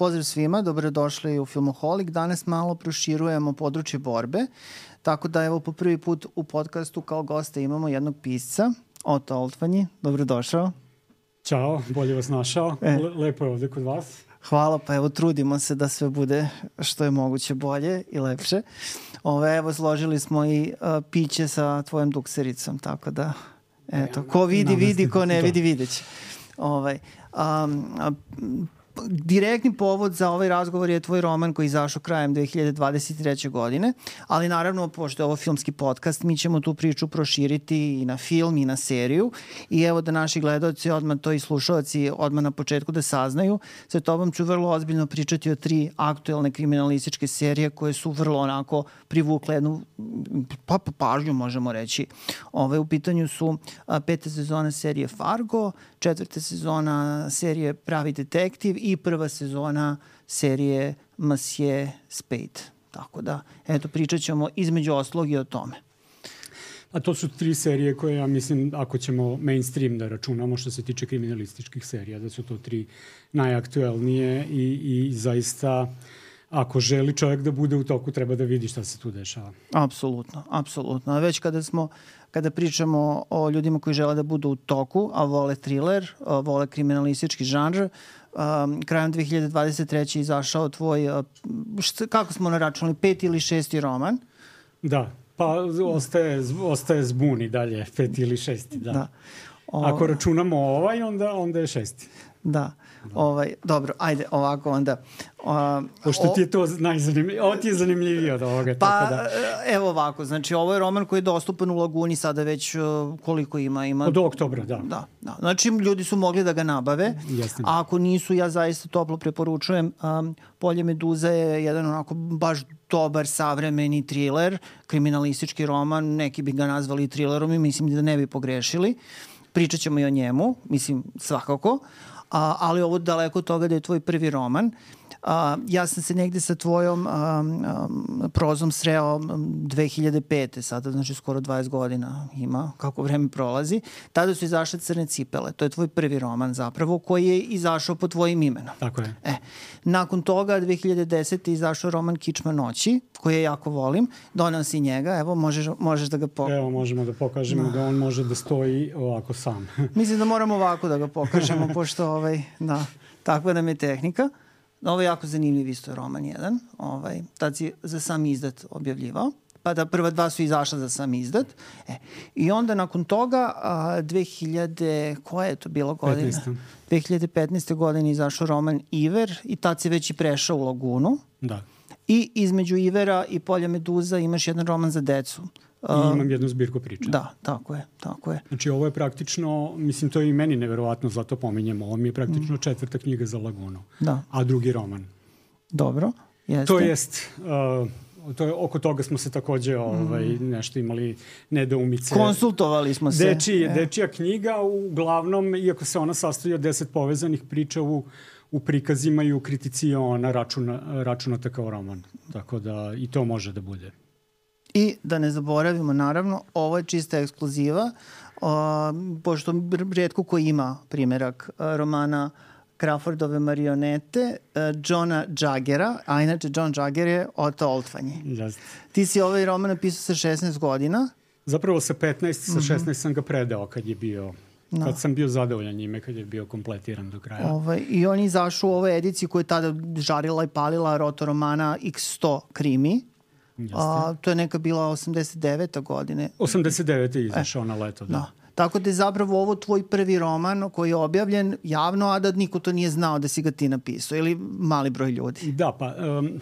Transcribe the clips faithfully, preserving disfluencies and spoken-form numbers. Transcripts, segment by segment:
pozdrav svima, dobrodošli u Filmoholik. Danas malo proširujemo područje borbe, tako da evo po prvi put u podcastu kao goste imamo jednog pisca, Oto Oltvanji. Dobrodošao. Ćao, bolje vas našao. E. Lepo je ovde kod vas. Hvala, pa evo trudimo se da sve bude što je moguće bolje i lepše. Ove, evo složili smo i uh, piće sa tvojom duksericom, tako da eto, ko vidi, vidi, ko ne vidi, videće. Ovaj, um, um, direktni povod za ovaj razgovor je tvoj roman koji je izašao krajem dve hiljade dvadeset treće. godine, ali naravno, pošto je ovo filmski podcast, mi ćemo tu priču proširiti i na film i na seriju i evo da naši gledaoci, odmah to i slušalci, odmah na početku da saznaju. Sa tobom ću vrlo ozbiljno pričati o tri aktuelne kriminalističke serije koje su vrlo onako privukle jednu pa, pa pažnju, možemo reći. Ove, u pitanju su a, peta sezona serije Fargo, četvrta sezona serije Pravi detektiv i prva sezona serije Monsieur Spade. Tako da, eto, pričat ćemo između ostalog i o tome. A to su tri serije koje, ja mislim, ako ćemo mainstream da računamo što se tiče kriminalističkih serija, da su to tri najaktuelnije i, i zaista, ako želi čovjek da bude u toku, treba da vidi šta se tu dešava. Apsolutno, apsolutno. A već kada smo, kada pričamo o ljudima koji žele da budu u toku, a vole thriller, a vole kriminalistički žanr, um, krajem dve hiljade dvadeset treće. izašao tvoj, uh, šta, kako smo naračunali, peti ili šesti roman? Da, pa ostaje, ostaje zbuni dalje, peti ili šesti, da. da. O... Ako računamo ovaj, onda, onda je šesti. Da. Ovaj, dobro, ajde, ovako onda. Uh, Pošto ti je to najzanimljivije, ovo ti je zanimljivije od ovoga. Pa, tako da. Evo ovako, znači ovo je roman koji je dostupan u Laguni sada već uh, koliko ima? ima... Od oktobra, da. da. Da, znači ljudi su mogli da ga nabave, Jasne. A ako nisu, ja zaista toplo preporučujem. Um, Polje Meduza je jedan onako baš dobar savremeni thriller, kriminalistički roman, neki bi ga nazvali thrillerom i mislim da ne bi pogrešili. Pričat ćemo i o njemu, mislim svakako. A, ali ovo daleko od toga da je tvoj prvi roman. A, ja sam se negde sa tvojom a, a, prozom sreo dve hiljade pete. sada, znači skoro dvadeset godina ima, kako vreme prolazi. Tada su izašle Crne cipele. To je tvoj prvi roman zapravo, koji je izašao pod tvojim imenom. Tako je. E, nakon toga, dve hiljade desete. je izašao roman Kičma noći, koji ja jako volim. Donao si njega, evo, možeš, možeš da ga pokažemo. Evo, možemo da pokažemo da. da on može da stoji ovako sam. Mislim da moramo ovako da ga pokažemo, pošto ovaj, da, takva nam je tehnika. Ovo je jako zanimljiv isto roman jedan. Ovaj, tad si za sam izdat objavljivao. Pa da prva dva su izašla za sam izdat. E, I onda nakon toga, a, dve hiljade, koja je to bilo godina? petnaeste. dve hiljade petnaeste. godine izašao roman Iver i tad si već i prešao u Lagunu. Da. I između Ivera i Polja Meduza imaš jedan roman za decu. I imam jednu zbirku priča. Da, tako je, tako je. Znači ovo je praktično, mislim to je i meni neverovatno, zato pominjemo, ovo mi je praktično četvrta knjiga za Lagunu, da. A drugi roman. Dobro, jeste. To jest, uh, to je, oko toga smo se takođe ovaj, nešto imali nedoumice. Konsultovali smo se. Deči, dečija knjiga, uglavnom, iako se ona sastoji od deset povezanih priča u, u prikazima i u kritici, ona računa, računata kao roman. Tako da i to može da bude. I da ne zaboravimo, naravno, ovo je čista ekskluziva, uh, pošto rijetko ko ima primjerak uh, romana Crawfordove marionete, uh, Johna Jaggera, a inače John Jagger je Oto Oltvanji. Yes. Ti si ovaj roman napisao sa šesnaest godina. Zapravo sa petnaest, sa šesnaest mm-hmm. sam ga predao kad je bio, no. kad sam bio zadovoljan njime, kad je bio kompletiran do kraja. Ovaj, I on je izašao u ovoj ediciji koja je tada žarila i palila roto romana iks sto krimi. A, to je neka bila osamdeset devete. godine. osamdeset devete je izašao e, na leto, da. da. Tako da je zapravo ovo tvoj prvi roman koji je objavljen javno, a da niko to nije znao da si ga ti napisao, ili mali broj ljudi. Da, pa um,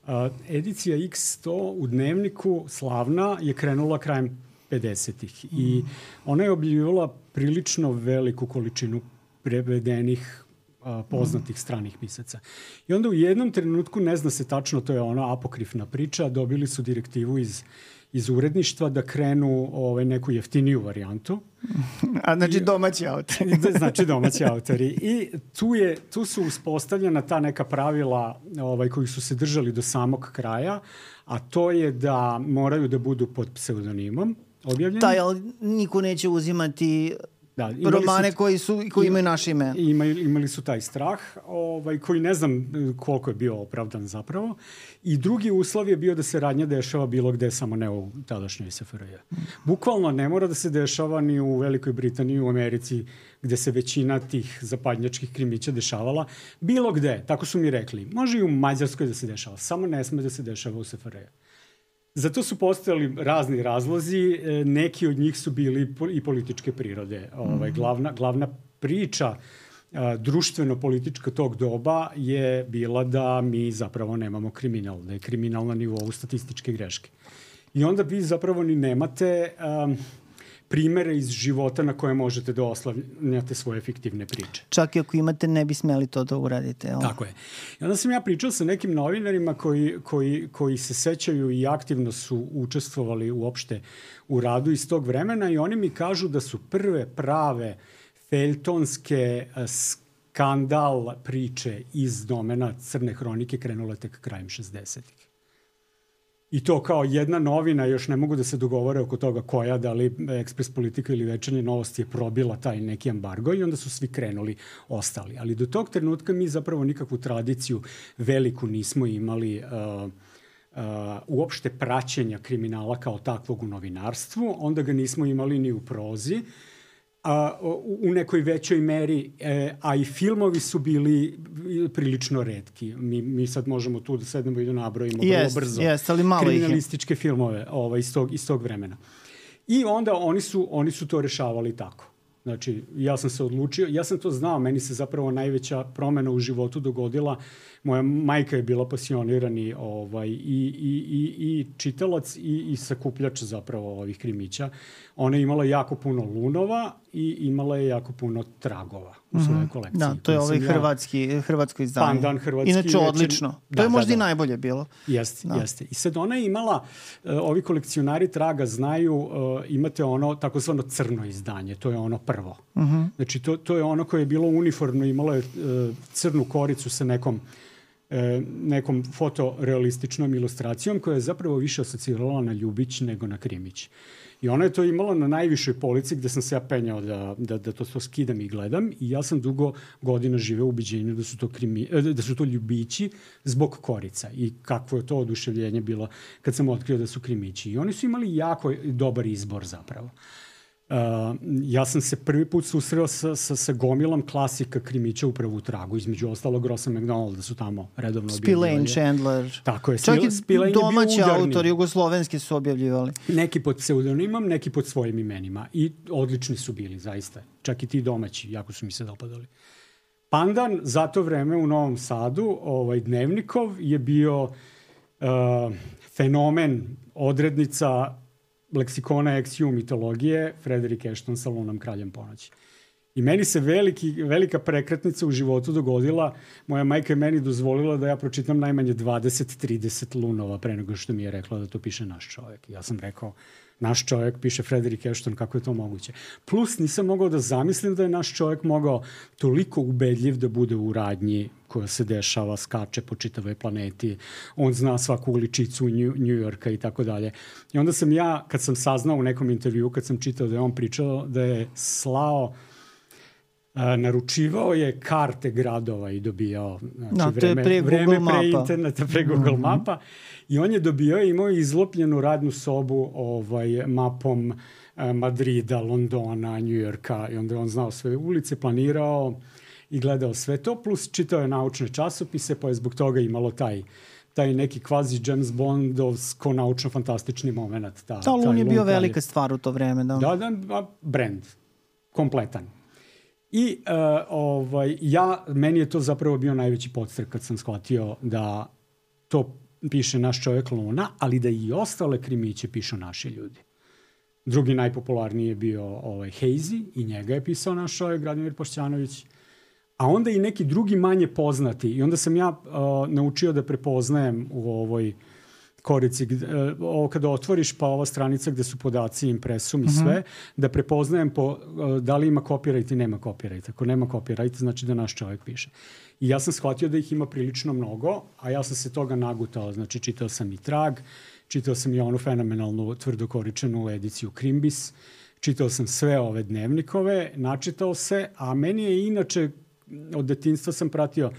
uh, edicija iks sto u Dnevniku, slavna, je krenula krajem pedesetih. Mm. I ona je objavila prilično veliku količinu prevedenih poznatih stranih pisaca. I onda u jednom trenutku, ne zna se tačno, to je ona apokrifna priča, dobili su direktivu iz, iz uredništva da krenu ovaj, neku jeftiniju varijantu. A znači domaći autori. Znači domaći autori. I tu, je, tu su uspostavljena ta neka pravila ovaj, koji su se držali do samog kraja, a to je da moraju da budu pod pseudonimom objavljeni. Da, ali niko neće uzimati da, romane su, koji, su, koji imaju naše ime. Imali, imali su taj strah, ovaj, koji ne znam koliko je bio opravdan zapravo. I drugi uslov je bio da se radnja dešava bilo gde, samo ne u tadašnjoj S F R J. Bukvalno ne mora da se dešava ni u Velikoj Britaniji, u Americi, gde se većina tih zapadnjačkih krimića dešavala. Bilo gde, tako su mi rekli. Može i u Mađarskoj da se dešava, samo ne sme da se dešava u S F R J. Zato su postojali razni razlozi, neki od njih su bili i političke prirode. Ovaj, glavna, glavna priča društveno-politička tog doba je bila da mi zapravo nemamo kriminal, da je kriminal na nivou statističke greške. I onda vi zapravo ni nemate um, primere iz života na koje možete da oslavljate svoje fiktivne priče. Čak i ako imate, ne bi smeli to da uradite. Jel? Tako je. I onda sam ja pričao sa nekim novinarima koji, koji, koji se sećaju i aktivno su učestvovali uopšte u radu iz tog vremena i oni mi kažu da su prve prave feljtonske skandal priče iz domena crne hronike krenule tek krajem šezdesetih. I to kao jedna novina, još ne mogu da se dogovore oko toga koja, da li Ekspres Politika ili Večernje novosti je probila taj neki embargo i onda su svi krenuli, ostali. Ali do tog trenutka mi zapravo nikakvu tradiciju veliku nismo imali uh, uh, uopšte praćenja kriminala kao takvog u novinarstvu, onda ga nismo imali ni u prozi, a, u nekoj većoj meri, e, a i filmovi su bili prilično retki. Mi, mi sad možemo tu da sednemo i da nabrojimo vrlo yes, brzo yes, ali malo kriminalističke filmove ovaj, iz, tog, iz tog vremena. I onda oni su, oni su to rešavali tako. Znači, ja sam se odlučio, ja sam to znao, meni se zapravo najveća promena u životu dogodila. Moja majka je bila pasionirani ovaj, i, i, i, i čitalac i, i sakupljač zapravo ovih krimića. Ona je imala jako puno lunova i imala je jako puno tragova u svojoj mm-hmm. kolekciji. Da, to je ovaj ja, hrvatski, hrvatsko izdanje. Pandan, hrvatski. Inače, odlično. To da, je možda da, da. i najbolje bilo. Jeste, da. jeste. I sad ona je imala, uh, ovi kolekcionari traga znaju, uh, imate ono takozvano crno izdanje, to je ono prvo. Mm-hmm. Znači, to, to je ono koje je bilo uniformno, imalo je uh, crnu koricu sa nekom E, nekom fotorealističnom ilustracijom koja je zapravo više asocirala na Ljubić nego na Krimić. I ona je to imala na najvišoj polici gde sam se ja penjao da, da, da to, to skidam i gledam i ja sam dugo godina živeo u ubeđenju da su to, krimi, da su to Ljubići zbog korica i kakvo je to oduševljenje bilo kad sam otkrio da su Krimići. I oni su imali jako dobar izbor zapravo. Uh, ja sam se prvi put susreo sa, sa, sa gomilom klasika krimića upravo u tragu. Između ostalog Rosa McDonald da su tamo redovno objavljivali. Spillane, Chandler. Tako je. Čak i domaći autori jugoslovenski su objavljivali. Neki pod pseudonimom, neki pod svojim imenima. I odlični su bili, zaista. Čak i ti domaći, jako su mi se dopadali. Pandan za to vreme u Novom Sadu, ovaj Dnevnikov, je bio uh, fenomen, odrednica leksikona X U mitologije, Frederick Ashton sa Lunom kraljem ponoći. I meni se veliki, velika prekretnica u životu dogodila. Moja majka je meni dozvolila da ja pročitam najmanje dvadeset do trideset lunova pre nego što mi je rekla da to piše naš čovjek. Ja sam rekao, naš čovjek piše Frederick Ashton, kako je to moguće? Plus nisam mogao da zamislim da je naš čovjek mogao toliko ubedljiv da bude u radnji koja se dešava, skače po čitavoj planeti, on zna svaku uličicu New Yorka i tako dalje. I onda sam ja, kad sam saznao u nekom intervju, kad sam čitao da je on pričao da je slao, a, naručivao je karte gradova i dobijao, znači, no, vreme, pre vreme pre interneta, pre Google mm-hmm. mapa, i on je dobio i imao izlopljenu radnu sobu ovaj, mapom a, Madrida, Londona, New Yorka, i onda je on znao sve ulice, planirao i gledao sve to, plus čitao je naučne časopise, pa je zbog toga imalo taj, taj neki kvazi James Bondovsko naučno-fantastični moment. Ta, Ta Lun je bio velika stvar u to vreme. Da, da, da brand, kompletan. I uh, ovaj, ja, meni je to zapravo bio najveći podstrek kad sam shvatio da to piše naš čovjek Luna, ali da i ostale krimiće pišu naši ljudi. Drugi najpopularniji je bio ovaj, Hazy i njega je pisao naš čovjek Gradimir Pošćanović. A onda i neki drugi manje poznati. I onda sam ja uh, naučio da prepoznajem u ovoj korici, uh, ovo kada otvoriš pa ova stranica gde su podaci, impresum i sve, mm-hmm. da prepoznajem po, uh, da li ima copyright i nema copyright. Ako nema copyright, znači da naš čovjek piše. I ja sam shvatio da ih ima prilično mnogo, a ja sam se toga nagutao. Znači, čitao sam i Trag, čitao sam i onu fenomenalnu tvrdokoričenu ediciju Krimbis, čitao sam sve ove dnevnikove, načitao se, a meni je inače, od detinjstva sam pratio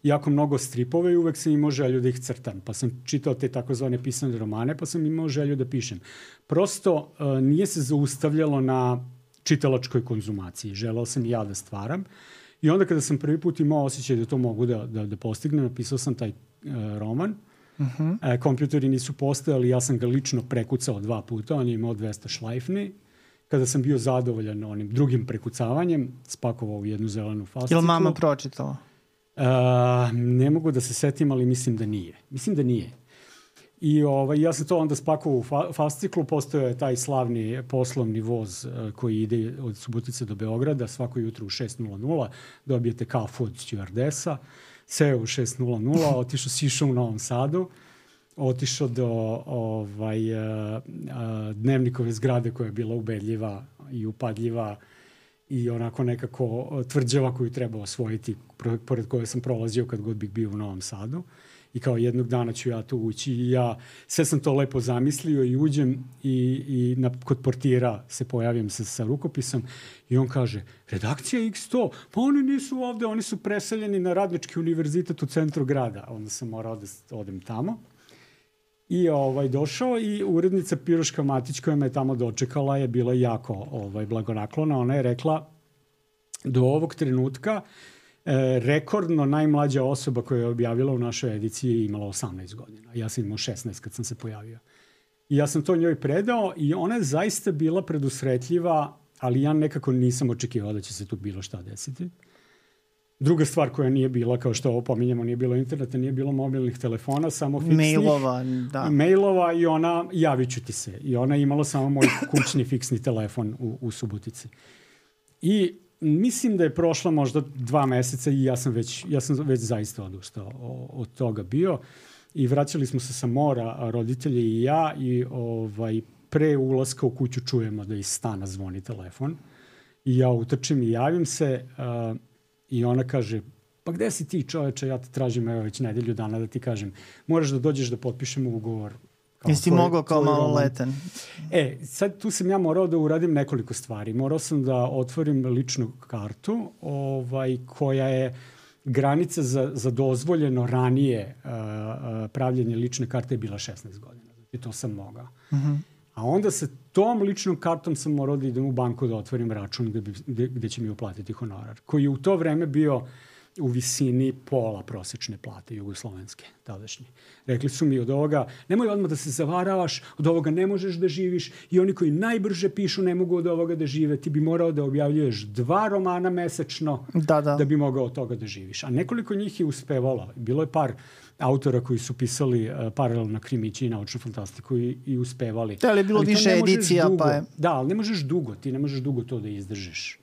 jako mnogo stripove i uvek sam imao želju da ih crtam. Pa sam čitao te takozvane pisane romane, pa sam imao želju da pišem. Prosto uh, nije se zaustavljalo na čitalačkoj konzumaciji. Želeo sam i ja da stvaram. I onda kada sam prvi put imao osjećaj da to mogu da, da, da postignem, napisao sam taj uh, roman. Uh-huh. E, kompjuteri nisu postojali, ja sam ga lično prekucao dva puta, on je imao dvesta šlajfni. Kada sam bio zadovoljan onim drugim prekucavanjem, spakovao u jednu zelenu fasciklu. Ili mama pročitala? Uh, ne mogu da se setim, ali mislim da nije. Mislim da nije. I ovaj, ja sam to onda spakovao u fa- fasciklu, postojao je taj slavni poslovni voz uh, koji ide od Subotice do Beograda, svako jutro u šest nula nula, dobijete kafu od stewardesa, seo u šest nula nula, otišao, sišao u Novom Sadu, otišao do ovaj, uh, uh, dnevnikove zgrade koja je bila ubedljiva i upadljiva i onako nekako tvrđava koju treba osvojiti, pored koje sam prolazio kad god bih bio u Novom Sadu. I kao jednog dana ću ja tu ući i ja sve sam to lepo zamislio i uđem i, i na, kod portira se pojavim sa, sa rukopisom i on kaže, redakcija iks sto, pa oni nisu ovde, oni su preseljeni na Radnički univerzitet u centru grada. Onda sam morao da odem tamo. I ovaj, došao i urednica Piroška Matić koja me tamo dočekala je bila jako ovaj, blagonaklona. Ona je rekla, do ovog trenutka e, rekordno najmlađa osoba koja je objavila u našoj ediciji je imala osamnaest godina. Ja sam imao šesnaest kad sam se pojavio. I ja sam to njoj predao i ona je zaista bila predusretljiva, ali ja nekako nisam očekivao da će se tu bilo šta desiti. Druga stvar koja nije bila, kao što ovo pominjamo, nije bilo interneta, nije bilo mobilnih telefona, samo fiksnih. Mailova, da. Mailova i ona, javit ću ti se. I ona je imala samo moj kućni fiksni telefon u, u Subotici. I mislim da je prošla možda dva meseca i ja sam već, ja sam već zaista odustao od toga bio. I vraćali smo se sa mora, roditelji i ja, i ovaj, pre ulaska u kuću čujemo da iz stana zvoni telefon. I ja utrčim i javim se, uh, i ona kaže, pa gde si ti čoveče, ja te tražim evo već nedelju dana da ti kažem, moraš da dođeš da potpišemo ugovor. Jesi ti mogao kao maloletan? E, sad tu sam ja morao da uradim nekoliko stvari. Morao sam da otvorim ličnu kartu ovaj, koja je granica za, za dozvoljeno ranije uh, uh, pravljenje lične karte je bila šesnaest godina. I to sam mogao. Uh-huh. A onda sa tom ličnom kartom sam morao da idem u banku da otvorim račun gde, bi, gde, gde će mi uplatiti honorar. Koji je u to vreme bio u visini pola prosečne plate jugoslovenske, tadašnje. Rekli su mi od ovoga, nemoj odmah da se zavaravaš, od ovoga ne možeš da živiš i oni koji najbrže pišu ne mogu od ovoga da žive. Ti bi morao da objavljuješ dva romana mesečno da, da. da bi mogao od toga da živiš. A nekoliko njih je uspevalo. Bilo je par autora koji su pisali uh, paralelno krimići i naučnu fantastiku i, i uspevali. Da, ali je bilo ali više edicija, dugo, pa je... Da, ali ne možeš dugo, ti ne možeš dugo to da izdržiš.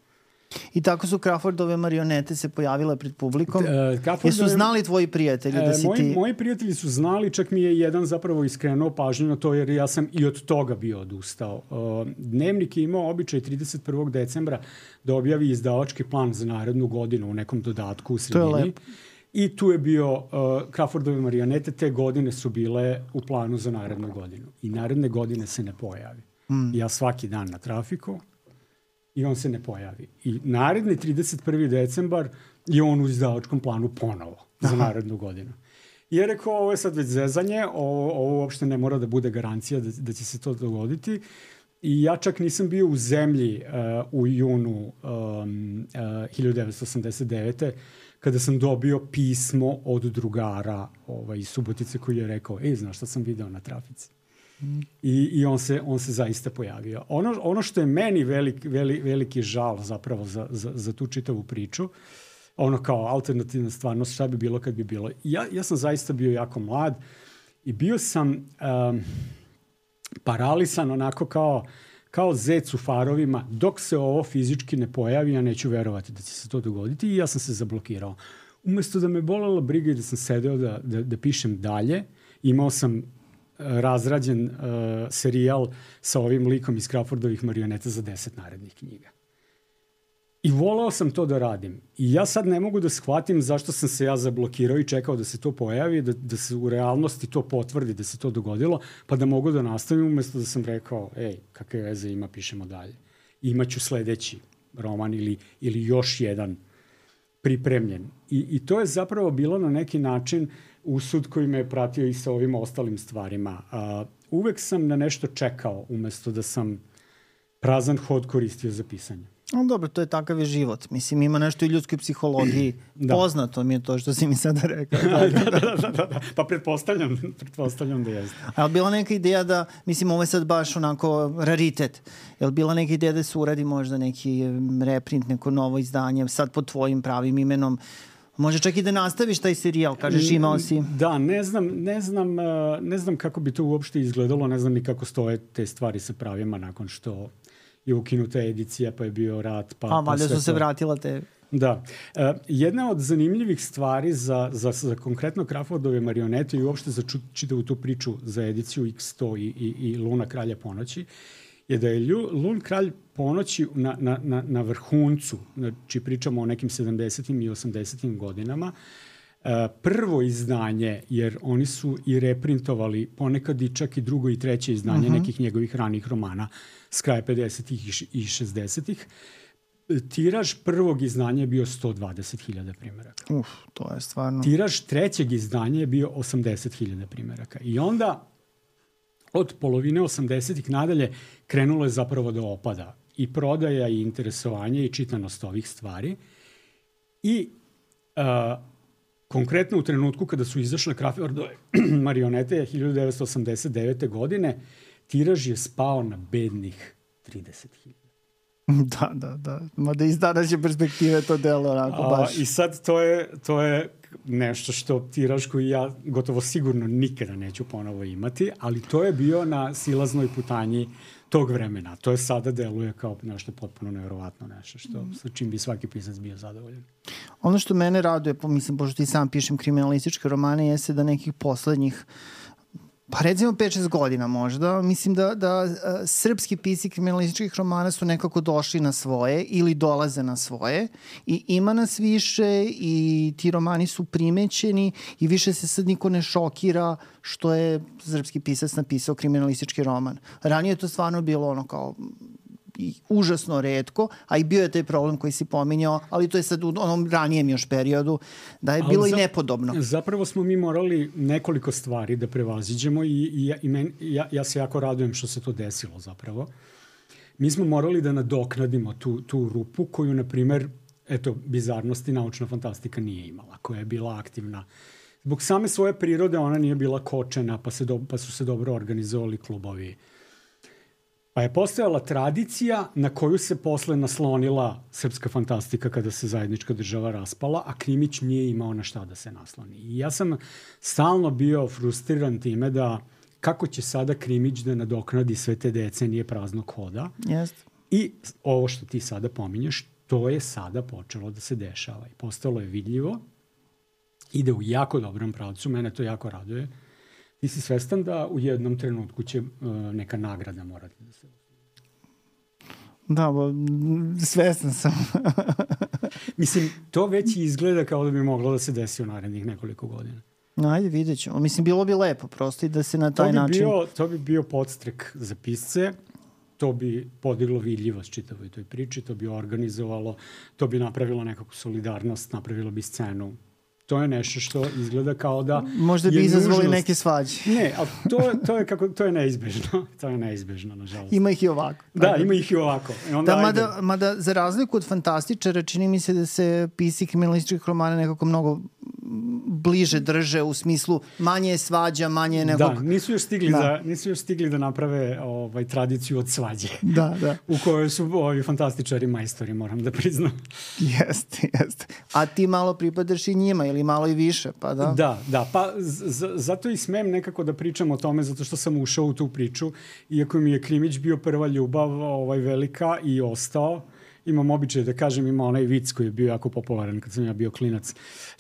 I tako su Crawfordove marionete se pojavile pred publikom. Uh, Jesu znali tvoji prijatelji da si uh, moji, ti... Moji prijatelji su znali, čak mi je jedan zapravo iskrenuo pažnju na to, jer ja sam i od toga bio odustao. Uh, Dnevnik je imao običaj trideset prvog decembra da objavi izdavački plan za narednu godinu u nekom dodatku u sredini. I tu je bio uh, Crawfordove marionete, te godine su bile u planu za narednu godinu. I naredne godine se ne pojavi. Mm. Ja svaki dan na trafiku i on se ne pojavi. I naredni trideset prvi decembar je on u izdavačkom planu ponovo za narednu godinu. I je rekao, ovo je sad već zezanje, ovo, ovo uopšte ne mora da bude garancija da, da će se to dogoditi. I ja čak nisam bio u zemlji uh, u junu um, uh, hiljadu devetsto osamdeset devete kada sam dobio pismo od drugara ovaj, iz Subotice koji je rekao, ej, znaš šta sam video na trafici? Mm. I, i on, se, on se zaista pojavio. Ono, ono što je meni velik, veli, veliki žal zapravo za, za, za tu čitavu priču, ono kao alternativna stvarnost, šta bi bilo kad bi bilo. Ja, ja sam zaista bio jako mlad i bio sam um, paralisan onako kao kao zec u farovima, dok se ovo fizički ne pojavi, ja neću verovati da će se to dogoditi i ja sam se zablokirao. Umesto da me bolela briga i da sam sedeo da, da, da pišem dalje, imao sam uh, razrađen uh, serijal sa ovim likom iz Crawfordovih marioneta za deset narednih knjiga. I voleo sam to da radim. I ja sad ne mogu da shvatim zašto sam se ja zablokirao i čekao da se to pojavi, da, da se u realnosti to potvrdi, da se to dogodilo, pa da mogu da nastavim umesto da sam rekao, ej, kakve veze ima, pišemo dalje. imaću sledeći roman ili, ili još jedan pripremljen. I, I to je zapravo bilo na neki način usud koji me je pratio i sa ovim ostalim stvarima. Uh, uvek sam na nešto čekao umesto da sam prazan hod koristio za pisanje. No, dobro, to je takav je život. Mislim, ima nešto i ljudskoj psihologiji. Da. Poznato mi je to što si mi sada rekao. da, da, da, da, da. Pa pretpostavljam, pretpostavljam da jeste. A je li bila neka ideja da, mislim, ovo je sad baš onako raritet, je li bila neka ideja da se uradi možda neki reprint, neko novo izdanje, sad pod tvojim pravim imenom, može čak i da nastaviš taj serijal, kažeš imao si... Da, ne znam, ne znam, ne znam kako bi to uopšte izgledalo, ne znam ni kako stoje te stvari sa pravima nakon što je ukinuta edicija, pa je bio rat. Pa, A, valjda pa su se vratila te... Da. Uh, jedna od zanimljivih stvari za, za, za konkretno Crawfordove marionete i uopšte za čitavu tu priču za ediciju iks sto i, i, i Luna kralja ponoći je da je Lju, Lun kralj ponoći na, na, na, na vrhuncu, znači pričamo o nekim sedamdesetim i osamdesetim godinama, uh, prvo izdanje, jer oni su i reprintovali ponekad i čak i drugo i treće izdanje uh-huh. nekih njegovih ranih romana s kraja pedesetih i šezdesetih. Tiraž prvog izdanja je bio sto dvadeset hiljada primeraka. Uf, to je stvarno... Tiraž trećeg izdanja je bio osamdeset hiljada primeraka. I onda od polovine osamdesetih nadalje krenulo je zapravo da opada i prodaja i interesovanje i čitanost ovih stvari. I uh, konkretno u trenutku kada su izašle Crawfordove marionete hiljadu devetsto osamdeset devete. godine, tiraž je spao na bednih trideset hiljada. Da, da, da. Mada iz današnje perspektive to delo onako baš. A, I sad to je, to je nešto što tiraž koji ja gotovo sigurno nikada neću ponovo imati, ali to je bio na silaznoj putanji tog vremena. To je sada deluje kao nešto potpuno nevjerovatno nešto što, sa čim bi svaki pisac bio zadovoljan. Ono što mene raduje, mislim, pošto ti sam pišem kriminalističke romane, jeste da nekih poslednjih pa recimo pet šest godina možda, mislim da, da uh, srpski pisci kriminalističkih romana su nekako došli na svoje ili dolaze na svoje i ima nas više i ti romani su primećeni i više se sad niko ne šokira što je srpski pisac napisao kriminalistički roman. Ranije je to stvarno bilo ono kao i užasno retko, a i bio je taj problem koji si pominjao, ali to je sad u onom ranijem još periodu, da je bilo za, i nepodobno. Zapravo smo mi morali nekoliko stvari da prevaziđemo i, i, ja, i men, ja, ja se jako radujem što se to desilo zapravo. Mi smo morali da nadoknadimo tu, tu rupu koju, na primer, eto, bizarnosti naučna fantastika nije imala, koja je bila aktivna. Zbog same svoje prirode ona nije bila kočena, pa, se do, pa su se dobro organizovali klubovi. Pa je postojala tradicija na koju se posle naslonila srpska fantastika kada se zajednička država raspala, a Krimić nije imao na šta da se nasloni. I ja sam stalno bio frustriran time da kako će sada Krimić da nadoknadi sve te decenije praznog hoda. Yes. I ovo što ti sada pominješ, to je sada počelo da se dešava. I postalo je vidljivo, ide u jako dobrom pravcu, mene to jako raduje. Ti si svestan da u jednom trenutku će uh, neka nagrada morati da se... Da, bo, svestan sam. Mislim, to već izgleda kao da bi moglo da se desi u narednih nekoliko godina. Ajde, vidjet ćemo. Mislim, bilo bi lepo prosto i da se na taj to bi način... Bio, to bi bio podstrek za pisce, to bi podiglo vidljivost čitavoj toj priči, to bi organizovalo, to bi napravilo nekakvu solidarnost, napravilo bi scenu. To je nešto što izgleda kao da... Možda bi izazvali nužnost... neke svađe. Ne, ali to, to, je kako, to je neizbežno. To je neizbežno, nažalost. Ima ih i ovako. Da, ima ih i ovako. I onda da, mada, mada za razliku od fantastičara, čini mi se da se pisci kriminalističkih romana nekako mnogo bliže drže u smislu manje je svađa, manje je nekog... Da, nisu još stigli da, da, nisu još stigli da naprave ovaj, tradiciju od svađe. Da, da. U kojoj su ovi fantastičari majstori, moram da priznam. Jeste, jeste. A ti malo pripadaš i njima ili malo i više, pa da? Da, da. Pa z- zato i smem nekako da pričam o tome, zato što sam ušao u tu priču, iako mi je Krimić bio prva ljubav ovaj, velika i ostao. Imam običaj da kažem, ima onaj vic koji je bio jako popularan kad sam ja bio klinac.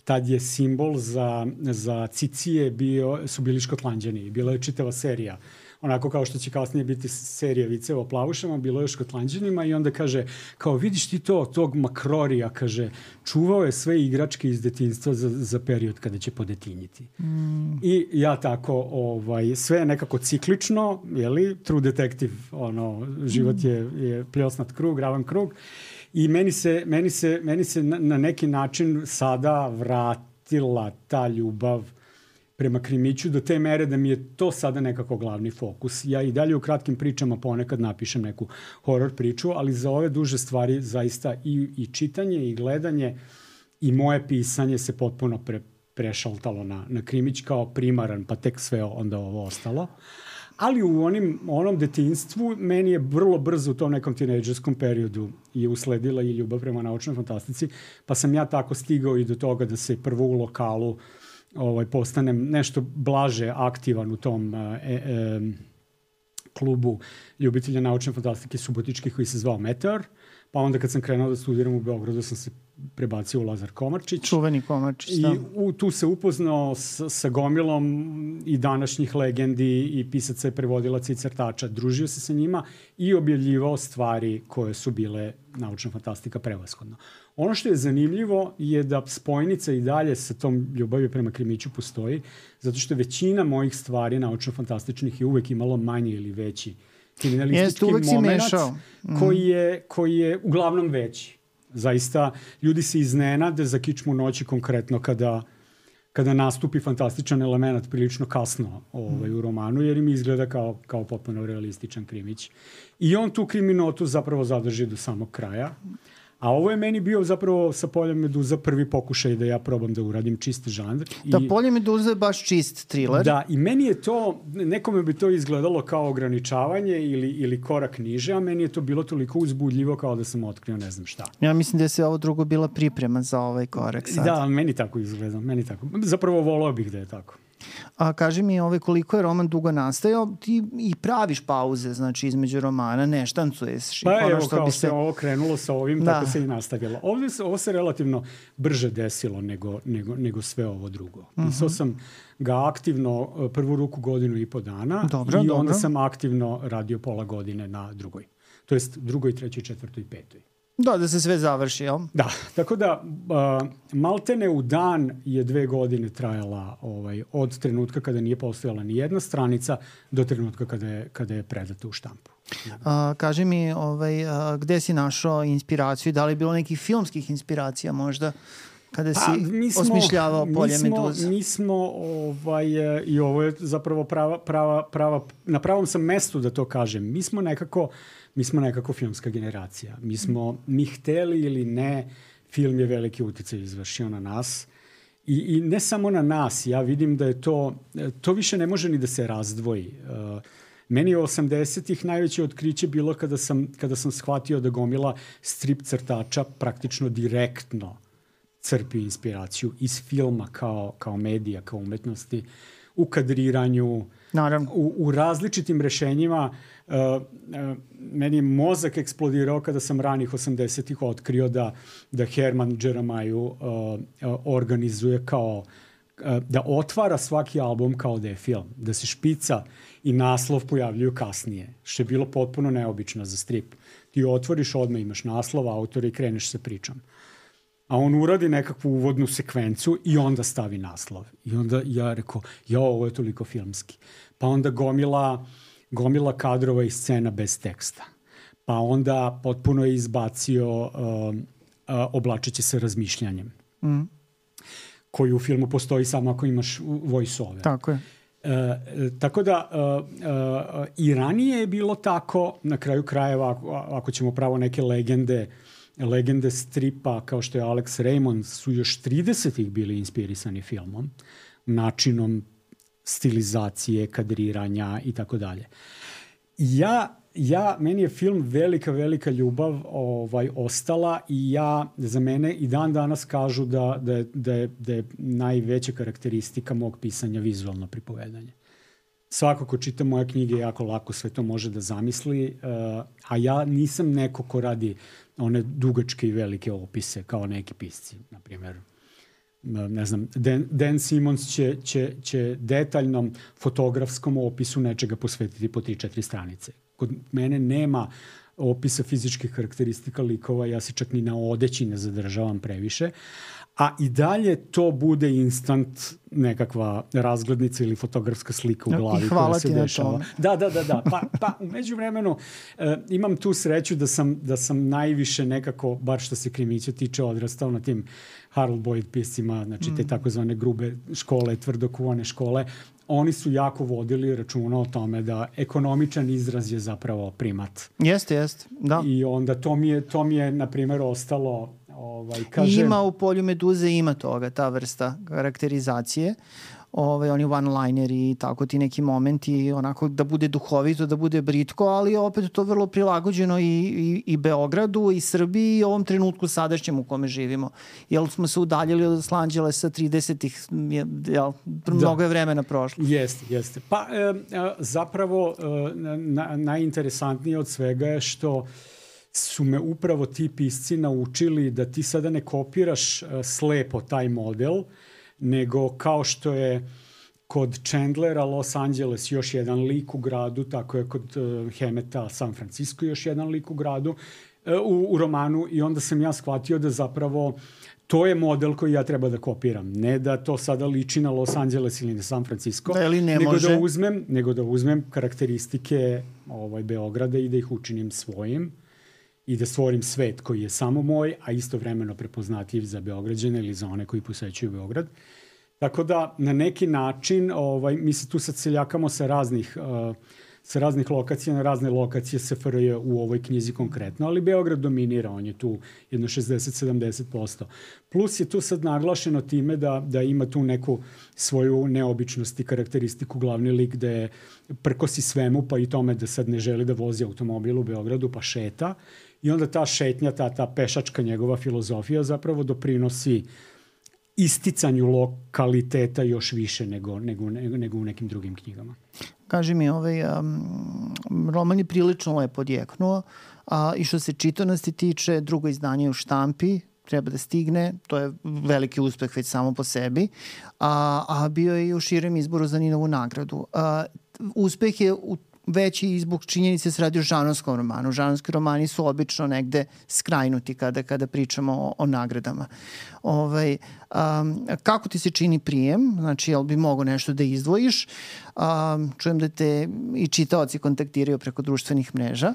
Tad je simbol za, za cicije bio, su bili Škotlanđani. Bila je čitava serija onako kao što će kasnije biti serija viceva o plavušama, bilo je o Škotlanđanima i onda kaže, kao vidiš ti to, tog Makrorija, kaže, čuvao je sve igračke iz detinjstva za, za period kada će podetinjiti. Mm. I ja tako, ovaj, sve je nekako ciklično, jeli, True Detective, ono, život je, je pljosnat krug, ravan krug. I meni se, meni se, meni se na, na neki način sada vratila ta ljubav prema krimiću do te mere da mi je to sada nekako glavni fokus. Ja i dalje u kratkim pričama ponekad napišem neku horor priču, ali za ove duže stvari zaista i, i čitanje i gledanje i moje pisanje se potpuno pre, prešaltalo na, na krimić kao primaran, pa tek sve onda ovo ostalo. Ali u onim, onom detinjstvu meni je vrlo brzo u tom nekom tinejdžerskom periodu je usledila i ljubav prema naučnoj fantastici, pa sam ja tako stigao i do toga da se prvo u lokalu ovaj, postanem nešto blaže aktivan u tom e, e, klubu ljubitelja naučne fantastike subotičkih koji se zvao Meteor, pa onda kad sam krenuo da studiram u Beogradu sam se prebacio u Lazar Komarčić. Čuveni Komarčić, da. I u, tu se upoznao s, sa gomilom i današnjih legendi i pisaca i prevodilaca i crtača. Družio se sa njima i objavljivao stvari koje su bile naučna fantastika prevashodno. Ono što je zanimljivo je da spojnica i dalje sa tom ljubavi prema krimiću postoji, zato što većina mojih stvari naučno-fantastičnih je uvek imalo manji ili veći kriminalistički moment mm. koji, je, koji je uglavnom veći. Zaista, ljudi se iznenade za kičmu noći konkretno kada, kada nastupi fantastičan element prilično kasno ovaj, u romanu, jer im izgleda kao, kao potpuno realističan krimić. I on tu kriminotu zapravo zadrži do samog kraja. A ovo je meni bio zapravo sa Poljem meduza prvi pokušaj da ja probam da uradim čist žanr. Da, I, Polje meduza je baš čist thriller. Da, i meni je to, nekome bi to izgledalo kao ograničavanje ili, ili korak niže, a meni je to bilo toliko uzbudljivo kao da sam otkrio ne znam šta. Ja mislim da je se ovo drugo bila priprema za ovaj korak sad. Da, meni tako izgleda, meni tako. Zapravo volao bih da je tako. A kaži mi, ovaj, koliko je roman dugo nastajao, ti i praviš pauze, znači, između romana, ne štancuješ. Pa ono evo, što kao bi se se ovo krenulo sa ovim, da. Tako se i nastavilo. Ovdje se, ovo se relativno brže desilo nego, nego, nego sve ovo drugo. Uh-huh. Pisao sam ga aktivno prvu ruku godinu i po dana dobro, i onda dobro. Sam aktivno radio pola godine na drugoj. To jest drugoj, trećoj, četvrtoj i petoj. Da, da se sve završi, jel? Da, tako da uh, maltene u dan je dve godine trajala ovaj, od trenutka kada nije postojala ni jedna stranica do trenutka kada je, kada je predata u štampu. A, kaži mi, ovaj, a, gde si našao inspiraciju? Da li je bilo nekih filmskih inspiracija možda? Kada si pa, osmišljavao Polje meduza? Mi smo, ovaj, i ovo je zapravo prava, prava, prava, na pravom sam mestu da to kažem. Mi smo nekako, mi smo nekako filmska generacija. Mi smo, mi hteli ili ne, film je veliki uticaj izvršio na nas. I, I ne samo na nas. Ja vidim da je to, to više ne može ni da se razdvoji. Uh, Meni je osamdesetih najveće otkriće bilo kada sam, kada sam shvatio da gomila strip crtača praktično direktno crpi inspiraciju iz filma kao, kao medija, kao umetnosti, u kadriranju, naravno. U, u različitim rešenjima. Uh, uh, meni je mozak eksplodirao kada sam ranih osamdesetih otkrio da, da Herman Džeramaju uh, uh, organizuje kao, uh, da otvara svaki album kao da je film, da se špica i naslov pojavljuju kasnije, što je bilo potpuno neobično za strip. Ti otvoriš, odmah imaš naslov, autora i kreneš sa pričom. A on uradi nekakvu uvodnu sekvencu i onda stavi naslov. I onda ja rekao, ja, ovo je toliko filmski. Pa onda gomila, gomila kadrova i scena bez teksta. Pa onda potpuno je izbacio uh, uh, oblačeći se razmišljanjem. Mm. Koji u filmu postoji samo ako imaš voice-over. Tako je. E, tako da uh, uh, i ranije je bilo tako, na kraju krajeva, ako, ako ćemo pravo neke legende, legende stripa kao što je Alex Raymond su još tridesetih bili inspirisani filmom, načinom stilizacije, kadriranja i tako dalje. Ja, ja, meni je film velika, velika ljubav ovaj, ostala i ja, za mene i dan danas kažu da, da, je, da, je, da je najveća karakteristika mog pisanja vizualno pripovedanje. Svako ko čita moje knjige jako lako sve to može da zamisli, uh, a ja nisam neko ko radi one dugačke i velike opise kao neki pisci, na primjer ne znam, Dan, Dan Simmons će, će, će detaljnom fotografskom opisu nečega posvetiti po tri četiri stranice. Kod mene nema opisa fizičkih karakteristika likova, ja se čak ni na odeći ne zadržavam previše, a i dalje to bude instant nekakva razglednica ili fotografska slika u glavi koja se dešava. Da, da, da, da. Pa, pa u međuvremenu e, imam tu sreću da sam, da sam najviše nekako, bar što se krimića tiče, odrastao na tim Harold Boyd piscima, znači te takozvane grube škole, tvrdokuvane škole. Oni su jako vodili računa o tome da ekonomičan izraz je zapravo primat. Jeste, jeste, da. I onda to mi je, to mi je na primjer, ostalo... Ovaj, kaže... Ima u polju Meduze, ima toga, ta vrsta karakterizacije. Ovaj, oni one-lineri i tako ti neki momenti, onako da bude duhovito, da bude britko, ali opet to vrlo prilagođeno i, i, i Beogradu, i Srbiji, i ovom trenutku sadašnjem u kome živimo. Jer smo se udaljili od Los Angelesa tridesetih, jel, mnogo je vremena prošlo. Jeste, jeste. Pa e, zapravo e, na, najinteresantnije od svega je što su me upravo ti pisci naučili da ti sada ne kopiraš uh, slepo taj model, nego kao što je kod Chandlera Los Angeles još jedan lik u gradu, tako je kod uh, Hemeta San Francisco još jedan lik u gradu, uh, u, u romanu, i onda sam ja shvatio da zapravo to je model koji ja treba da kopiram. Ne da to sada liči na Los Angeles ili na San Francisco, da, ne nego, može. da uzmem, nego da uzmem karakteristike ovaj, Beograda i da ih učinim svojim i da stvorim svet koji je samo moj, a istovremeno prepoznatljiv za Beograđane ili za one koji posećuju Beograd. Tako da na neki način ovaj, mi se tu sad seljakamo sa raznih, uh, sa raznih lokacija na razne lokacije S F R J u ovoj knjizi konkretno, ali Beograd dominira, on je tu jedno šezdeset do sedamdeset posto. Plus je tu sad naglašeno time da, da ima tu neku svoju neobičnost i karakteristiku glavni lik da je prkosi svemu, pa i tome da sad ne želi da vozi automobil u Beogradu, pa šeta. I onda ta šetnja, ta, ta pešačka njegova filozofija zapravo doprinosi isticanju lokaliteta još više nego, nego, nego, nego u nekim drugim knjigama. Kaži mi, ovaj, um, roman je prilično lepo odjeknuo, a, i što se čitanosti tiče, drugo izdanje u štampi, treba da stigne, to je veliki uspeh već samo po sebi, a, a bio je i u širem izboru za Ninovu nagradu. A, uspeh je u veći i zbog činjenice se radi o žanrovskom romanu. Žanrovski romani su obično negde skrajnuti kada, kada pričamo o, o nagradama. Ovaj, um, kako ti se čini prijem? Znači, jel bi mogo nešto da izdvojiš? Um, čujem da te i čitaoci kontaktiraju preko društvenih mreža.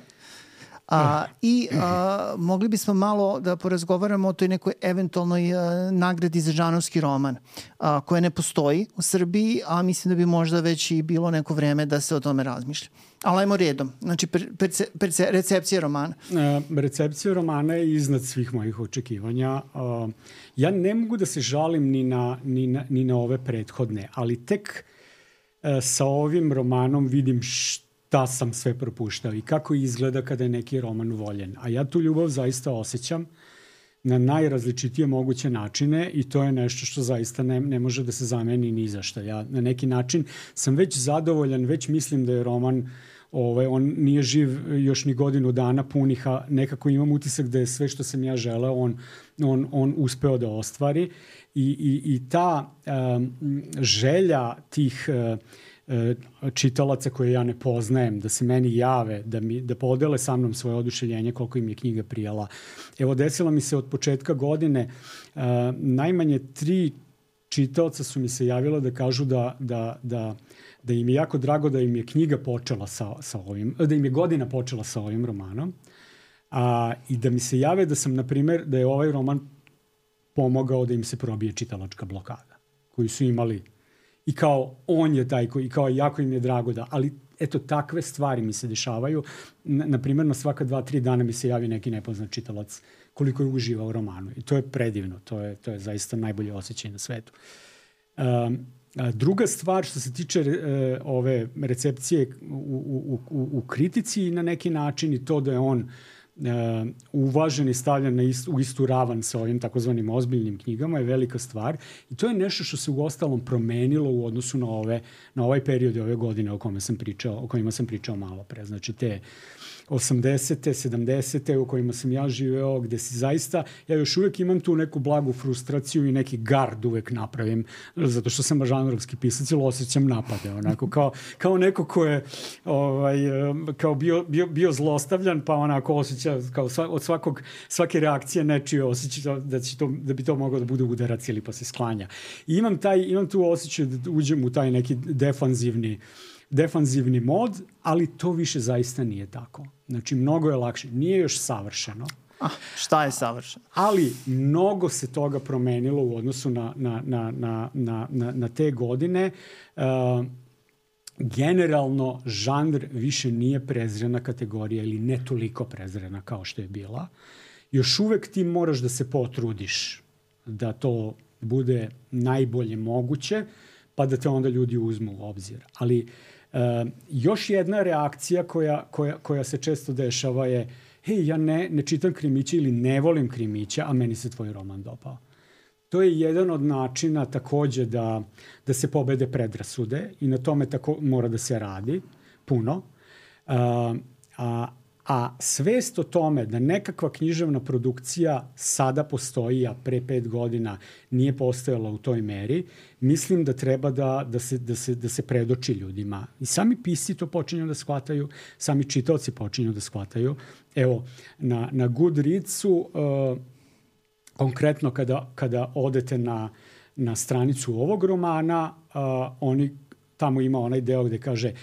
A, I a, mogli bismo malo da porazgovaramo o toj nekoj eventualnoj a, nagradi za žanrovski roman, a, koja ne postoji u Srbiji, a mislim da bi možda već i bilo neko vreme da se o tome razmišlja. Ali ajmo redom. Znači, perce, perce, recepcija romana. E, recepcija romana je iznad svih mojih očekivanja. E, ja ne mogu da se žalim ni na, ni na, ni na ove prethodne, ali tek e, sa ovim romanom vidim što da sam sve propuštao i kako izgleda kada je neki roman voljen. A ja tu ljubav zaista osjećam na najrazličitije moguće načine i to je nešto što zaista ne, ne može da se zameni ni za šta. Ja na neki način sam već zadovoljan, već mislim da je roman, ovaj, on nije živ još ni godinu dana punih, a nekako imam utisak da je sve što sam ja želeo on, on, on uspeo da ostvari. I, i, i ta um, želja tih uh, čitalaca koje ja ne poznajem, da se meni jave, da, mi, da podele sa mnom svoje oduševljenje koliko im je knjiga prijala. Evo, desilo mi se od početka godine, uh, najmanje tri čitaoca su mi se javila da kažu da, da, da, da im je jako drago da im je knjiga počela sa, sa ovim, da im je godina počela sa ovim romanom, a, i da mi se jave da sam, na primjer, da je ovaj roman pomogao da im se probije čitalačka blokada, koju su imali. I kao on je taj koji, kao jako im je drago da, ali eto, takve stvari mi se dešavaju. Na, na primjer, na svaka dva, tri dana mi se javi neki nepoznat čitalac koliko je uživao u romanu. I to je predivno, to je, to je zaista najbolje osjećaj na svetu. Um, a druga stvar što se tiče uh, ove recepcije u, u, u, u kritici na neki način i to da je on Uh, uvažen i stavljen na ist, u istu ravan sa ovim takozvanim ozbiljnim knjigama je velika stvar i to je nešto što se u ostalom promenilo u odnosu na ove na ovaj period ove godine o kome sam pričao, o kojima sam pričao malo pre. Znači te osamdesete, sedamdesete u kojima sam ja živeo, gde si zaista, ja još uvijek imam tu neku blagu frustraciju i neki gard uvek napravim, zato što sam žanrovski pisac ili osjećam napade, onako, kao, kao neko ko je ovaj, kao bio, bio, bio zlostavljan, pa onako osjeća, kao sva, od svakog, svake reakcije nečije osjeća da, će to, da bi to mogao da bude udarac ili pa se sklanja. I imam, taj, imam tu osjećaj da uđem u taj neki defanzivni defanzivni mod, ali to više zaista nije tako. Znači, mnogo je lakše. Nije još savršeno. Ah, šta je savršeno? Ali mnogo se toga promenilo u odnosu na, na, na, na, na, na, na te godine. Uh, generalno, žanr više nije prezrena kategorija ili ne toliko prezrena kao što je bila. Još uvek ti moraš da se potrudiš da to bude najbolje moguće, pa da te onda ljudi uzmu u obzir. Ali uh, još jedna reakcija koja, koja, koja se često dešava je hej, ja ne, ne čitam krimiće ili ne volim krimiće, a meni se tvoj roman dopao. To je jedan od načina takođe da, da se pobede predrasude i na tome tako mora da se radi puno. Uh, a, a svest o tome da nekakva književna produkcija sada postoji, a pre pet godina nije postojala u toj meri, mislim da treba da, da, se, da, se, da se predoči ljudima. I sami pisci to počinju da shvataju, sami čitaoci počinju da shvataju. Evo, na, na Goodreadsu, uh, konkretno kada, kada odete na, na stranicu ovog romana, uh, oni, tamo ima onaj deo gde kaže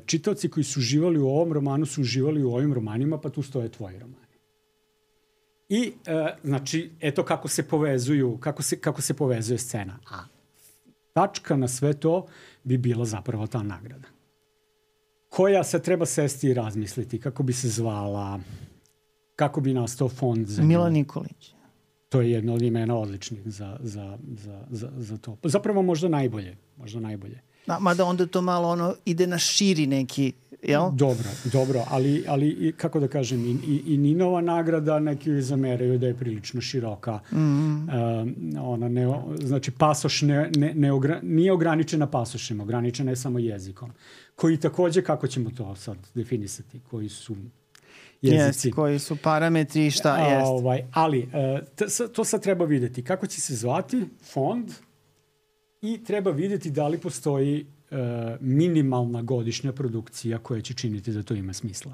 čitaoci koji su uživali u ovom romanu su uživali u ovim romanima, pa tu stoje tvoji romani. I, e, znači, eto kako se povezuju, kako se, kako se povezuje scena. A tačka na sve to bi bila zapravo ta nagrada. Koja se treba sesti i razmisliti, kako bi se zvala, kako bi nastao fond za nju. Milan Nikolić. To je jedno od imena odličnih za, za, za, za, za to. Zapravo možda najbolje, možda najbolje. Da, mada onda to malo ono ide na širi neki, jel? Dobro, dobro, ali, ali kako da kažem, i, i, i Ninova nagrada neki joj zameraju da je prilično široka. Mm-hmm. Uh, ona ne, znači, pasoš ne, ne, ne ogra, nije ograničena pasošima, ograničena je samo jezikom. Koji takođe, kako ćemo to sad definisati, koji su jezici. Yes, koji su parametri, šta A, jest. Ovaj, ali, uh, t, to sad treba videti. Kako će se zvati fond? I treba vidjeti da li postoji uh, minimalna godišnja produkcija koja će činiti da to ima smisla.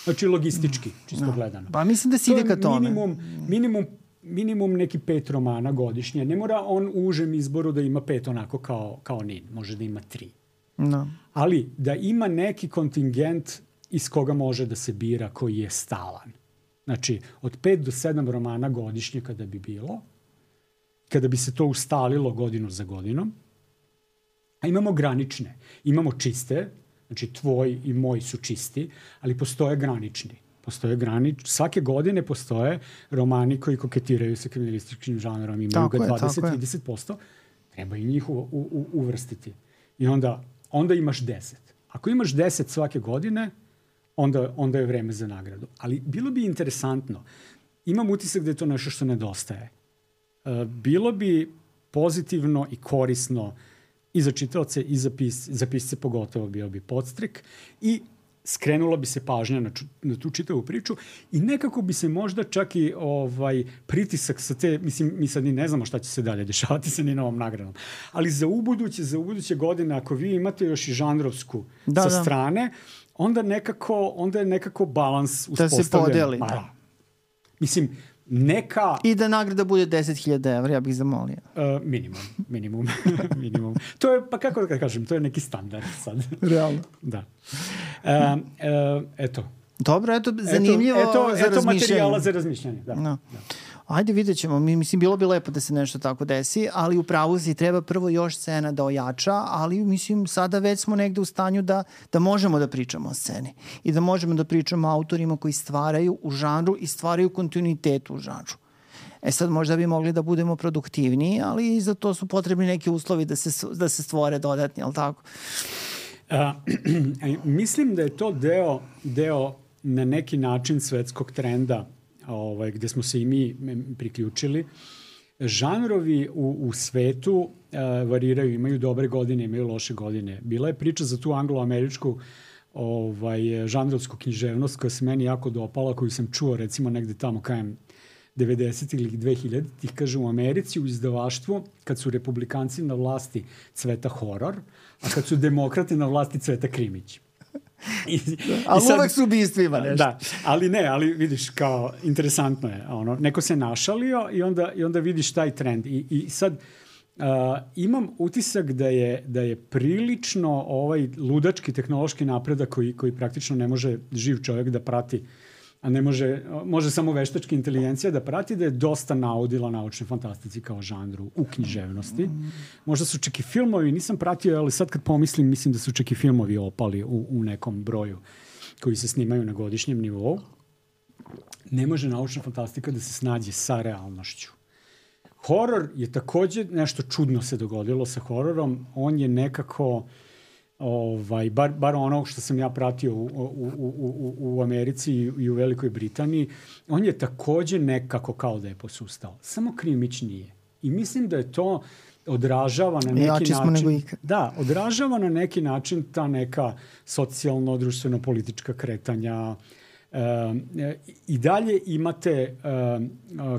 Znači logistički, čisto no. gledano. Pa mislim da si ide ka tome. Minimum, minimum, minimum neki pet romana godišnje. Ne mora on u užem izboru da ima pet onako kao, kao Nin. Može da ima tri. No. Ali da ima neki kontingent iz koga može da se bira koji je stalan. Znači od pet do sedam romana godišnje kada bi bilo, kada bi se to ustalilo godinu za godinom, a imamo granične, imamo čiste, znači tvoj i moj su čisti, ali postoje granični. Postoje granič, svake godine postoje romani koji koketiraju sa kriminalističkim žanrom, imaju tako ga dvadeset do trideset posto, treba i njih u, u, uvrstiti. I onda, onda imaš deset. Ako imaš deset svake godine, onda, onda je vreme za nagradu. Ali bilo bi interesantno, imam utisak da je to nešto što nedostaje. Bilo bi pozitivno i korisno i za čitaoce i za, pis, za pisce pogotovo bio bi podstrek i skrenula bi se pažnja na, ču, na tu čitavu priču i nekako bi se možda čak i ovaj, pritisak sa te, mislim, mi sad ni ne znamo šta će se dalje dešavati sa Ninovom nagradom, ali za ubuduće, za ubuduće godine, ako vi imate još i žanrovsku da, sa da. strane, onda nekako, onda je nekako balans uspostavljen. Da se podeli. Pa, da. Mislim, neka... I da nagrada bude deset hiljada evra, ja bih zamolio. Uh, minimum, minimum, minimum. To je, pa kako da kažem, to je neki standard sad. Realno. Da. Uh, uh, eto. Dobro, eto, zanimljivo eto, eto, za eto razmišljanje. Eto materijala za razmišljanje, da. No. da. Ajde, vidjet ćemo. Mi, mislim, bilo bi lepo da se nešto tako desi, ali u pravu si treba prvo još scena da ojača, ali mislim, sada već smo negde u stanju da, da možemo da pričamo o sceni i da možemo da pričamo o autorima koji stvaraju u žanru i stvaraju kontinuitet u žanru. E sad možda bi mogli da budemo produktivniji, ali i za to su potrebni neki uslovi da se, da se stvore dodatni, ali tako? Uh, mislim da je to deo, deo na neki način svetskog trenda ovaj, gde smo se i mi priključili. Žanrovi u, u svetu uh, variraju, imaju dobre godine, imaju loše godine. Bila je priča za tu anglo-američku ovaj, žanrovsku književnost koja se meni jako dopala, koju sam čuo recimo negde tamo kajem devedesetih ili dve hiljaditih, kaže u Americi u izdavaštvu kad su republikanci na vlasti cveta horor, a kad su demokrati na vlasti cveta krimić. I, ali i sad, uvek su ubistvima nešto. Da, ali ne, ali vidiš kao interesantno je, ono, neko se našalio i onda, i onda vidiš taj trend. I, i sad uh, imam utisak da je, da je prilično ovaj ludački tehnološki napredak koji, koji praktično ne može živ čovjek da prati, a ne može, može samo veštačka inteligencija da prati, da je dosta naudila naučnoj fantastici kao žanru u književnosti. Možda su čak i filmovi, nisam pratio, ali sad kad pomislim, mislim da su čak i filmovi opali u, u nekom broju koji se snimaju na godišnjem nivou. Ne može naučna fantastika da se snađe sa realnošću. Horor je takođe nešto čudno se dogodilo sa hororom. On je nekako... Ovaj, bar, bar ono što sam ja pratio u, u, u, u, u Americi i u Velikoj Britaniji, on je takođe nekako kao da je posustao. Samo krimić nije. I mislim da je to odražava na neki Jači način... nego ikad. Da, odražava na neki način ta neka socijalno, društveno-politička kretanja. E, I dalje imate e,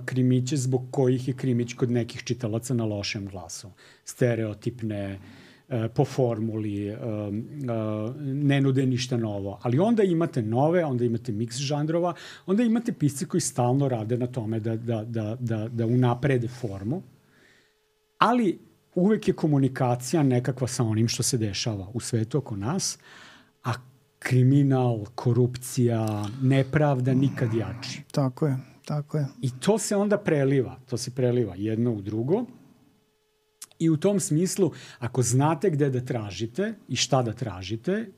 krimiće zbog kojih je krimić kod nekih čitalaca na lošem glasu. Stereotipne, po formuli, ne nude ništa novo. Ali onda imate nove, onda imate miks žanrova, onda imate pisci koji stalno rade na tome da, da, da, da, da unaprede formu, ali uvek je komunikacija nekakva sa onim što se dešava u svetu oko nas, a kriminal, korupcija, nepravda nikad jači. Tako je, tako je. I to se onda preliva, to se preliva jedno u drugo. I u tom smislu, ako znate gde da tražite i šta da tražite,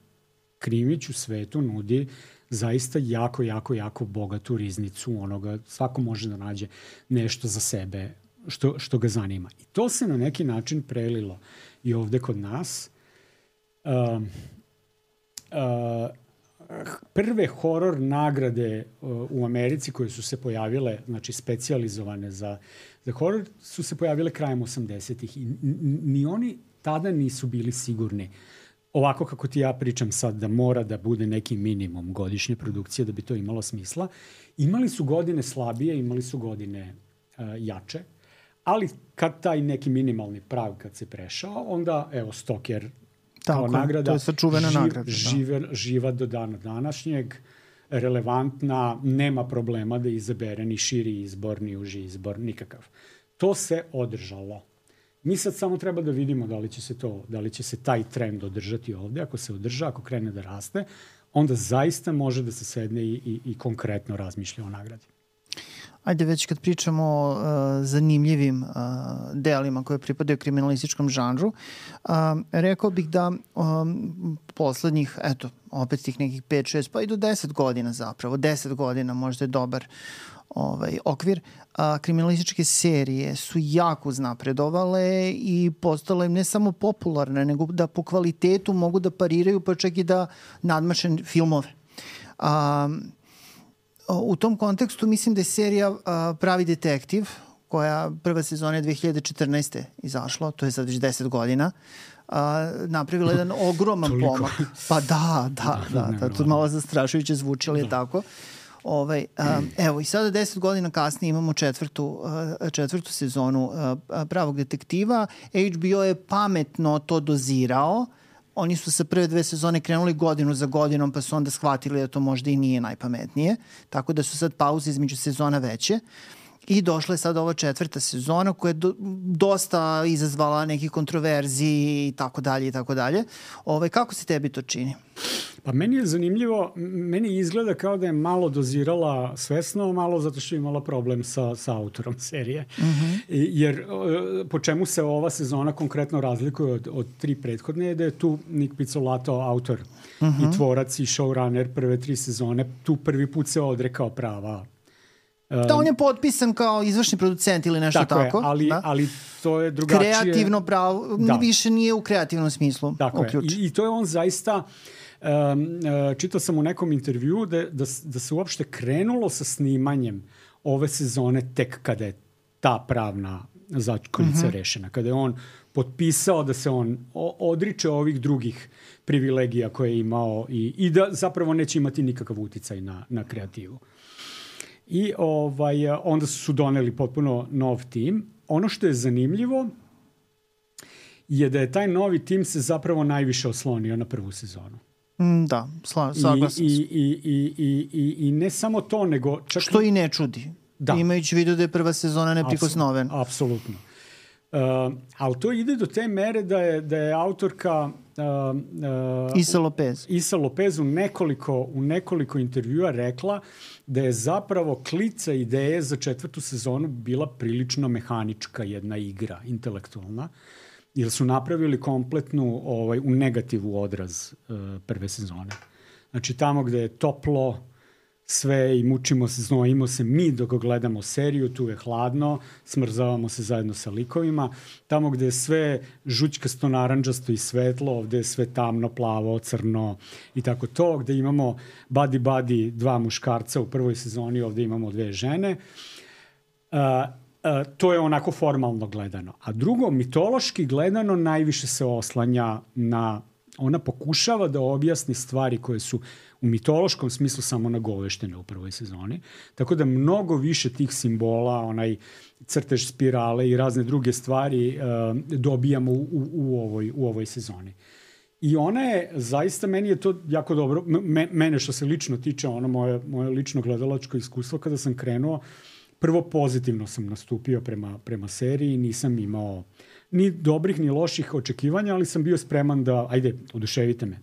krimić u svetu nudi zaista jako, jako, jako bogatu riznicu onoga. Svako može da nađe nešto za sebe što, što ga zanima. I to se na neki način prelilo i ovde kod nas. Uh, uh, prve horor nagrade uh, u Americi koje su se pojavile, znači specijalizovane za za horor, su se pojavile krajem osamdesetih i ni oni tada nisu bili sigurni. Ovako kako ti ja pričam sad da mora da bude neki minimum godišnje produkcije da bi to imalo smisla. Imali su godine slabije, imali su godine uh, jače, ali kad taj neki minimalni prag kad se prešao, onda evo Stoker kao nagrada, to je sačuvena živ, nagrada. Žive, da. Živa do dana današnjeg, relevantna, nema problema da izabere ni širi izbor, ni uži izbor, nikakav. To se održalo. Mi sad samo treba da vidimo da li će se to, da li će se taj trend održati ovde. Ako se održa, ako krene da raste, onda zaista može da se sedne i, i, i konkretno razmišlja o nagradi. Ajde, već kad pričamo o uh, zanimljivim uh, delima koje pripadaju kriminalističkom žanru, uh, rekao bih da um, poslednjih, eto, opet tih nekih pet šest, pa i do deset godina zapravo, deset godina možda je dobar ovaj, okvir, a, kriminalističke serije su jako uznapredovale i postale ne samo popularne, nego da po kvalitetu mogu da pariraju, pa čak i da nadmaše filmove. A, u tom kontekstu mislim da je serija a, Pravi detektiv, koja prva sezona je dve hiljade četrnaeste izašla, to je sad već deset godina, a, napravila jedan ogroman pomak. Pa da, da, da, da, da to malo zastrašujuće zvuči, ali je tako. Ovaj, um, evo i sada deset godina kasnije imamo četvrtu, uh, četvrtu sezonu uh, Pravog detektiva. H B O je pametno to dozirao. Oni su sa prve dve sezone krenuli godinu za godinom, pa su onda shvatili da to možda i nije najpametnije. Tako da su sad pauze između sezona veće. I došla je sad ova četvrta sezona koja je do, dosta izazvala nekih kontroverziji i tako dalje i tako dalje. Ovaj, kako se tebi to čini? Pa meni je zanimljivo, meni izgleda kao da je malo dozirala svesno, malo zato što je imala problem sa, sa autorom serije. Uh-huh. Jer po čemu se ova sezona konkretno razlikuje od, od tri prethodne je da je tu Nick Pizzolatto autor uh-huh. i tvorac i showrunner prve tri sezone. Tu prvi put se odrekao prava. Da, on je potpisan kao izvršni producent ili nešto tako. Tako je, ali, da? ali to je drugačije. Kreativno pravo, da. Više nije u kreativnom smislu uključen. I, I to je on zaista... Um, čitao sam u nekom intervju da, da, da se uopšte krenulo sa snimanjem ove sezone tek kada je ta pravna začkoljica Mhm. rešena. Kada je on potpisao da se on o- odriče ovih drugih privilegija koje je imao i, i da zapravo neće imati nikakav uticaj na, na kreativu. I ovaj, onda su doneli potpuno nov tim. Ono što je zanimljivo je da je taj novi tim se zapravo najviše oslonio na prvu sezonu. Mm, da, sla, saglasan I, sam. i, i, i, i, i, I ne samo to, nego čak... Što i ne čudi. Da. Imajući vidio da je prva sezona neprikosnovena. Apsolutno. Uh, ali to ide do te mere da je, da je autorka uh, uh, Isa Lopez. Isa Lopez u nekoliko, u nekoliko intervjua rekla da je zapravo klica ideje za četvrtu sezonu bila prilično mehanička jedna igra, intelektualna, jer su napravili kompletnu ovaj, u negativu odraz uh, prve sezone. Znači tamo gde je toplo, sve i mučimo se, znojimo se mi dok gledamo seriju, tu je hladno, smrzavamo se zajedno sa likovima. Tamo gde je sve žućkasto, naranđasto i svetlo, ovde je sve tamno, plavo, crno i tako to. Gde imamo buddy buddy dva muškarca u prvoj sezoni, ovde imamo dve žene. Uh, uh, to je onako formalno gledano. A drugo, mitološki gledano najviše se oslanja na... Ona pokušava da objasni stvari koje su u mitološkom smislu samo nagoveštene u prvoj sezoni. Tako da mnogo više tih simbola, onaj crtež spirale i razne druge stvari uh, dobijamo u, u, u, ovoj, u ovoj sezoni. I ona je, zaista, meni je to jako dobro, me, mene što se lično tiče, ono moje, moje lično gledalačko iskustvo kada sam krenuo, prvo pozitivno sam nastupio prema, prema seriji, nisam imao ni dobrih ni loših očekivanja, ali sam bio spreman da, ajde, oduševite me.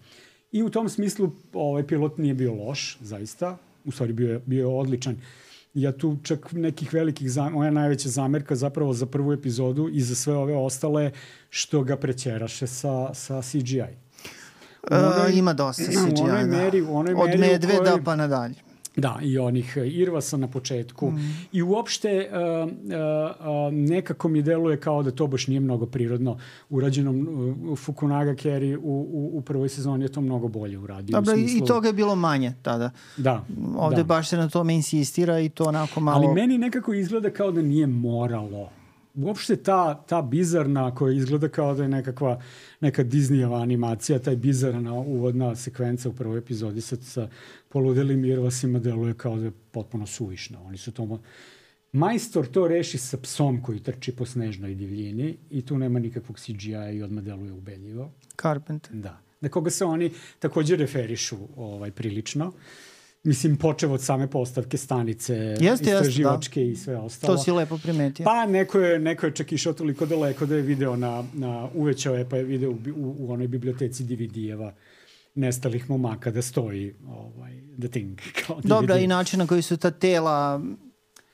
I u tom smislu ovaj pilot nije bio loš, zaista. U stvari bio je, bio je odličan. Ja tu čak nekih velikih, zam... moja najveća zamerka zapravo za prvu epizodu i za sve ove ostale što ga prećeraše sa, sa C G I. Onoj, uh, ima dosta C G I, u onoj da. meri, u onoj Od meri medveda kojoj... pa nadalje. Da, i onih irvasa na početku. Mm. I uopšte uh, uh, uh, nekako mi deluje kao da to baš nije mnogo prirodno urađeno. Uh, Fukunaga Kerry u, u, u prvoj sezoni je to mnogo bolje uradio. Dobro, smislu... i toga je bilo manje tada. Da. Ovde da. baš se na tome insistira i to onako malo... Ali meni nekako izgleda kao da nije moralo. Uopšte ta, ta bizarna koja izgleda kao da je nekakva neka Disneyeva animacija, taj bizarna uvodna sekvenca u prvoj epizodi sa, sa poludelim irvasima deluje kao da je potpuno suvišno. Oni su to... Majstor to reši sa psom koji trči po snežnoj divljini i tu nema nikakvog C G I i odmah deluje ubedljivo. Carpenter. Da. Na koga se oni takođe referišu ovaj, prilično. Mislim, počeo od same postavke stanice, jeste, istraživačke jeste, da. I sve ostalo. To si lepo primetio. Pa neko je, neko je čak išao toliko daleko da je video na, na uvećao je, pa je video u, u, u onoj biblioteci D V D-eva nestalih momaka da stoji ovaj, The Thing. Kao D V D. Dobra, i način na koji su ta tela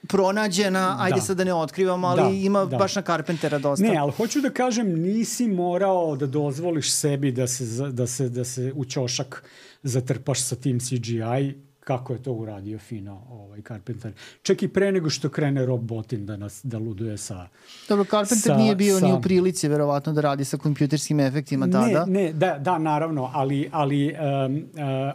pronađena, ajde da. Sad da ne otkrivamo, ali da, ima da. Baš na Carpentera dosta. Ne, ali hoću da kažem, nisi morao da dozvoliš sebi da se, da se, da se u ćošak zatrpaš sa tim C G I, kako je to uradio fino ovaj Carpenter. Čak i pre nego što krene Rob Bottin da nas da luduje sa... Dobro, Carpenter sa, nije bio sa... ni u prilici verovatno da radi sa kompjuterskim efektima tada. Ne, ne, da, da naravno, ali, ali um, uh,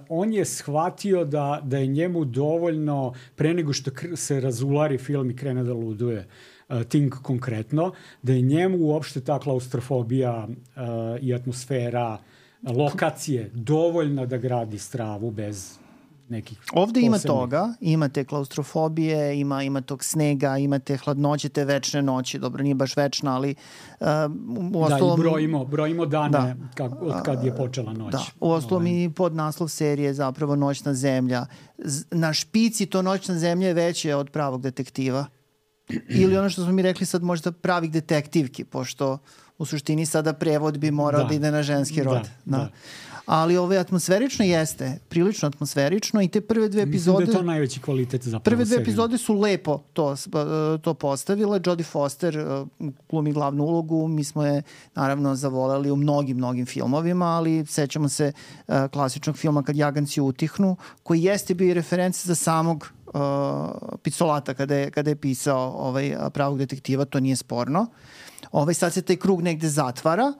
on je shvatio da, da je njemu dovoljno, pre nego što kr- se razulari film i krene da luduje, uh, Thing konkretno, da je njemu uopšte ta klaustrofobija uh, i atmosfera, lokacije dovoljna da gradi stravu bez nekih ovde posebnih. Ima toga, imate klaustrofobije, ima, ima tog snega, imate hladnoće, te večne noći, dobro, nije baš večna, ali uh, u ostalom... Da, i brojimo, brojimo dane da. Kak, od kad je počela noć. Da, u ostalom ovaj. I podnaslov serije zapravo Noćna zemlja. Na špici to Noćna zemlja je veće od Pravog detektiva. Ili ono što smo mi rekli sad možda Pravih detektivki, pošto u suštini sada prevod bi morao da, da ide na ženski rod. Da, da. da. Ali ove atmosferično jeste, prilično atmosferično i te prve dve epizode... Mislim da je to najveći kvalitet zapravo. Prve dve epizode su lepo to, to postavile. Jodie Foster glumi glavnu ulogu, mi smo je naravno zavoleli u mnogim, mnogim filmovima, ali sećamo se uh, klasičnog filma Kad jaganci utihnu, koji jeste bio i referenca za samog uh, Picolata kada je, kada je pisao ovaj, Pravog detektiva, to nije sporno. Ovaj, sad se taj krug negde zatvara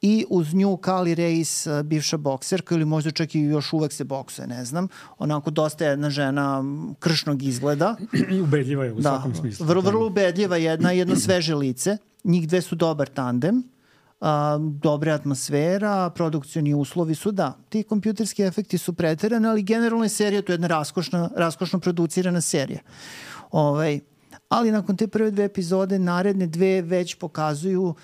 i uz nju Kali Reis, bivša bokserka, ili možda čak i još uvek se boksuje, ne znam. Onako dosta jedna žena kršnog izgleda. Ubedljiva je u da, svakom smislu. Vrlo, vrlo ubedljiva jedna, jedno sveže lice. Njih dve su dobar tandem. A, dobre atmosfera, produkcioni uslovi su, da, ti kompjuterski efekti su preterani, ali generalno je serija, to je jedna raskošna, raskošno producirana serija. Ovaj, ali nakon te prve dve epizode, naredne dve već pokazuju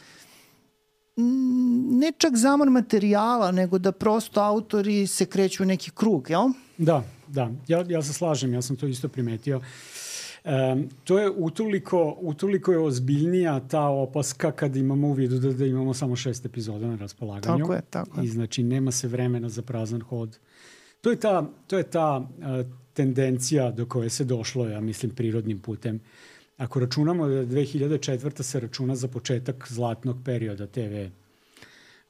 ne čak zamor materijala, nego da prosto autori se kreću u neki krug, jel? Da, da. Ja, ja se slažem, ja sam to isto primetio. Um, to je utoliko, utoliko je ozbiljnija ta opaska kad imamo u vidu da, da imamo samo šest epizoda na raspolaganju. Tako je, tako je. I znači nema se vremena za prazan hod. To je ta, to je ta uh, tendencija do koje se došlo, ja mislim, prirodnim putem. Ako računamo da dve hiljade četvrta se računa za početak zlatnog perioda te ve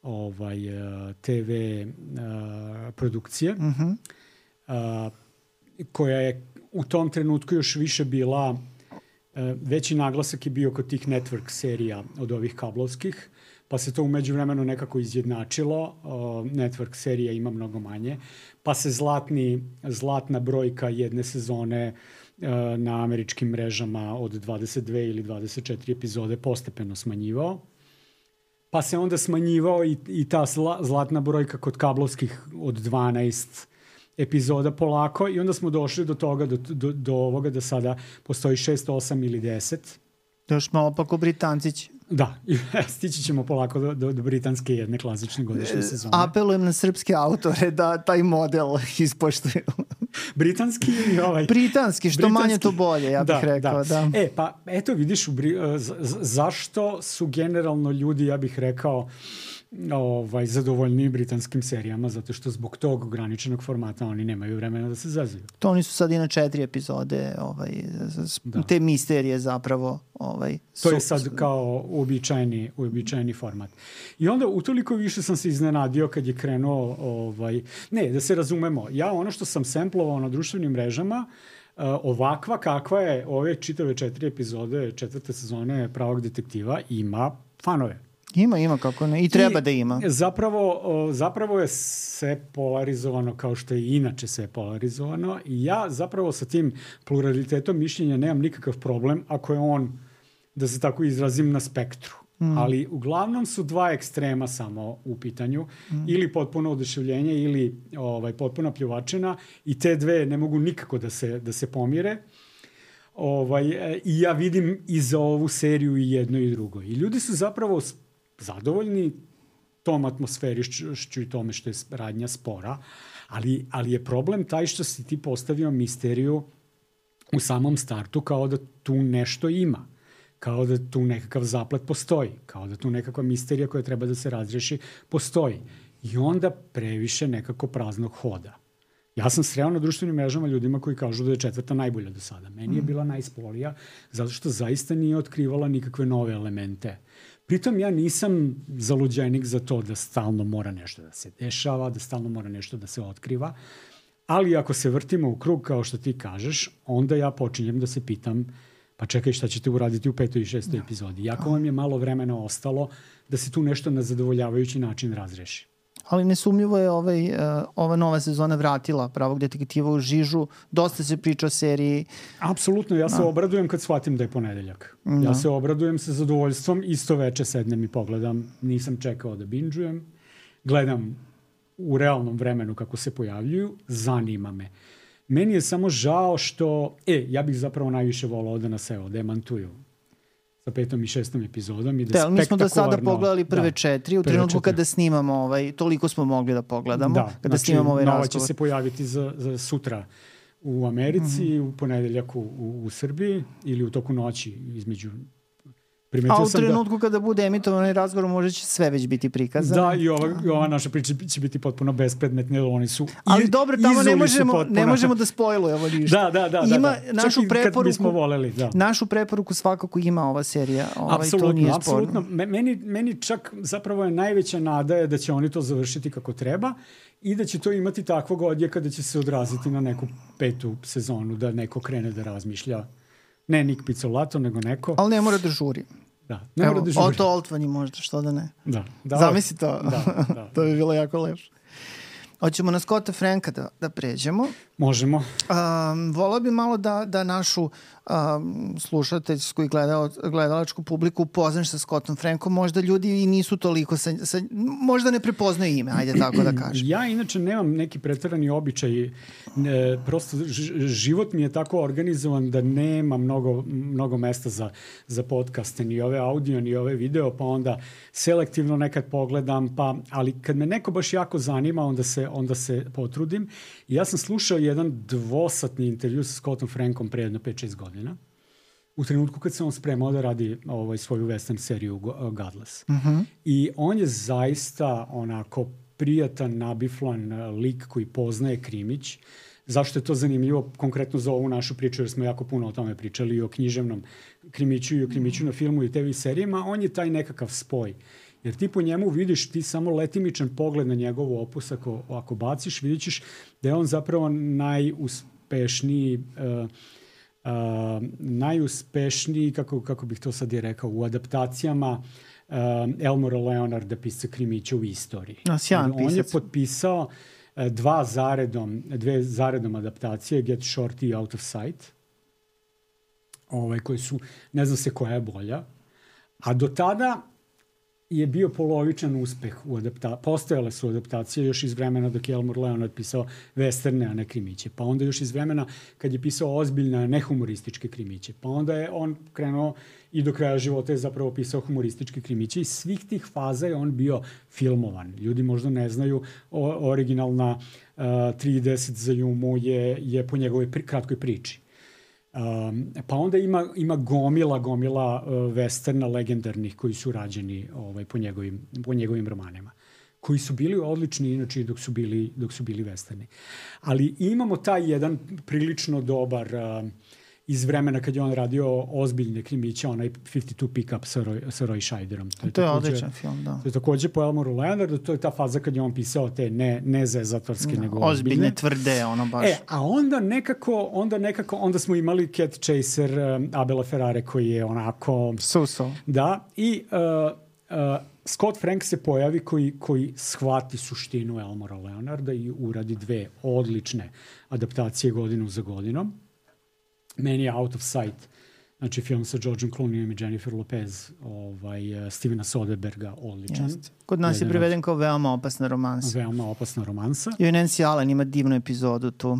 ovaj, uh, te ve uh, produkcije, uh-huh. uh, koja je u tom trenutku još više bila, uh, veći naglasak je bio kod tih network serija od ovih kablovskih, pa se to u međuvremenu nekako izjednačilo. Uh, network serija ima mnogo manje, pa se zlatni, zlatna brojka jedne sezone uh, na američkim mrežama od dvadeset dve ili dvadeset četiri epizode postepeno smanjivao. Pa se onda smanjivao i, i ta zla, zlatna brojka kod kablovskih od dvanaest epizoda polako i onda smo došli do toga, do, do, do ovoga da sada postoji šest, osam ili deset. Još malo pa ko Britancić. Da, stići ćemo polako do, do, do britanske jedne klasične godišnje sezone. Apelujem na srpske autore da taj model ispoštuju. Britanski ili ovaj? Britanski, što britanski. Manje to bolje, ja bih da, rekao. Da. Da. E, pa eto vidiš, u, z, z, zašto su generalno ljudi, ja bih rekao, ovaj, zadovoljni britanskim serijama, zato što zbog tog ograničenog formata oni nemaju vremena da se zazivaju. To oni su sad i na četiri epizode, ovaj, da. Te misterije zapravo. Ovaj, to su, je sad kao uobičajeni, uobičajeni format. I onda utoliko više sam se iznenadio kad je krenuo, ovaj, ne, da se razumemo, ja ono što sam semplovao na društvenim mrežama, uh, ovakva kakva je ove čitave četiri epizode četvrte sezone Pravog detektiva, ima fanove. Ima, ima, kako ne. I treba I da ima. Zapravo, zapravo je sve polarizovano kao što je inače sve polarizovano i ja zapravo sa tim pluralitetom mišljenja nemam nikakav problem ako je on, da se tako izrazim, na spektru. Mm. Ali uglavnom su dva ekstrema samo u pitanju. Mm. Ili potpuno oduševljenje ili ovaj, potpuna pljuvačina i te dve ne mogu nikako da se, da se pomire. Ovaj, i ja vidim i za ovu seriju i jedno i drugo. I ljudi su zapravo zadovoljni tom atmosferišću i tome što je radnja spora, ali, ali je problem taj što si ti postavio misteriju u samom startu kao da tu nešto ima, kao da tu nekakav zaplet postoji, kao da tu nekakva misterija koja treba da se razreši postoji. I onda previše nekako praznog hoda. Ja sam sreo na društvenim mrežama ljudima koji kažu da je četvrta najbolja do sada. Meni je bila najspolija zato što zaista nije otkrivala nikakve nove elemente. Pritom ja nisam zaluđenik za to da stalno mora nešto da se dešava, da stalno mora nešto da se otkriva, ali ako se vrtimo u krug kao što ti kažeš, onda ja počinjem da se pitam pa čekaj šta ćete uraditi u petoj i šestoj epizodi. Jako vam je malo vremena ostalo da se tu nešto na zadovoljavajući način razreši. Ali nesumljivo je ovaj, uh, ova nova sezona vratila Pravog detektiva u žižu. Dosta se priča o seriji. Apsolutno, ja se no. obradujem kad shvatim da je ponedeljak. No. Ja se obradujem sa zadovoljstvom, isto veče sednem i pogledam. Nisam čekao da binđujem. Gledam u realnom vremenu kako se pojavljuju. Zanima me. Meni je samo žao što... E, ja bih zapravo najviše volao da nas evo demantuju sa petom i šestom epizodom i da, da mi smo do sada pogledali prve da, četiri, u trenutku kada snimamo ovaj, toliko smo mogli da pogledamo, da, kada znači, snimamo ovaj razgovor. Nova će se pojaviti za, za sutra u Americi, mm-hmm. u ponedeljak u, u, u Srbiji ili u toku noći između... Primetio A u trenutku da, kada bude emitovan razgovor može će sve već biti prikazano. Da, i ova, i ova naša priča će biti potpuno bespredmetne, oni su Ali iz, dobro, tamo ne možemo, potpuno... ne možemo da spojlujemo ništa. Da, da, da. Ima da, da. našu preporuku, voleli, da. našu preporuku svakako ima ova serija. Ovaj, apsolutno, to nije apsolutno. Meni, meni čak zapravo je najveća nada je da će oni to završiti kako treba i da će to imati takvog odjeka da će se odraziti na neku petu sezonu, da neko krene da razmišlja. Ne Nik Pizzolato, nego neko. Ali ne mora da žuri. Da. Ne Evo, da Otto Oltvani možda, što da ne. Da. da Zamisli to. Da, da. To bi bilo jako lepo. Hoćemo na Scotta Franka da, da pređemo. Možemo. Um, volao bi malo da, da našu um, slušateljsku i gledal, gledalačku publiku upoznaš sa Scottom Frankom. Možda ljudi i nisu toliko sa, sa, možda ne prepoznaju ime, ajde tako da kažem. Ja inače nemam neki preterani običaj. E, prosto život mi je tako organizovan da nema mnogo, mnogo mesta za, za podcaste, ni ove audio, ni ove video, pa onda selektivno nekad pogledam, pa, ali kad me neko baš jako zanima, onda se, onda se potrudim. I ja sam slušao jedan dvosatni intervju sa Scottom Frankom pre jedno pet šest godina. U trenutku kad se on spremao da radi ovaj, svoju western seriju Godless. Uh-huh. I on je zaista onako prijatan, nabiflan lik koji poznaje krimić. Zašto je to zanimljivo konkretno za ovu našu priču, jer smo jako puno o tome pričali i o književnom krimiću i o krimiću na filmu i te vi serijama. On je taj nekakav spoj. Jer ti po njemu vidiš, ti samo letimičan pogled na njegov opus, ako, ako baciš, vidit ćeš da je on zapravo najuspešniji, uh, uh, najuspešniji, kako, kako bih to sad je rekao, u adaptacijama uh, Elmora Leonarda, pisca krimića u istoriji. No, sjajan pisac. On je potpisao uh, dva zaredom, dve zaredom adaptacije, Get Shorty i Out of Sight, ovaj, koji su, ne znam se koja je bolja, a do tada je bio polovičan uspeh u adaptaciji. Postojale su adaptacije još iz vremena dok je Elmore Leonard pisao westerne, a ne krimiće. Pa onda još iz vremena kad je pisao ozbiljne, a ne humorističke krimiće. Pa onda je on krenuo i do kraja života je zapravo pisao humorističke krimiće. I svih tih faza je on bio filmovan. Ljudi možda ne znaju, o, originalna uh, tri deset za Jumu je, je po njegovoj pri, kratkoj priči. Um, pa onda ima, ima gomila, gomila uh, westerna legendarnih koji su rađeni ovaj, po, njegovim, po njegovim romanima. Koji su bili odlični inače dok su bili, dok su bili westerni. Ali imamo taj jedan prilično dobar uh, iz vremena kad je on radio ozbiljne krimiće, onaj pedeset dva Pickup sa Roy, sa Roy Scheiderom. To je, to je takođe, odličan film, da. To je takođe po Elmoru Leonardu, to je ta faza kad je on pisao te ne, ne zezatorske, da, nego ozbiljne. Ozbiljne, tvrde, ono baš. E, a onda nekako, onda nekako, onda smo imali Cat Chaser um, Abela Ferrare koji je onako... So-so. Da, i uh, uh, Scott Frank se pojavi koji, koji shvati suštinu Elmora Leonarda i uradi dve odlične adaptacije godinu za godinom. Meni je Out of Sight, znači film sa Georgeom Clooneyem i Jennifer Lopez, ovaj, uh, Stevena Soderberga, odličan. Jest. Kod nas je priveden kao Veoma opasna romansa. Veoma opasna romansa. I Nancy Allen ima divnu epizodu tu.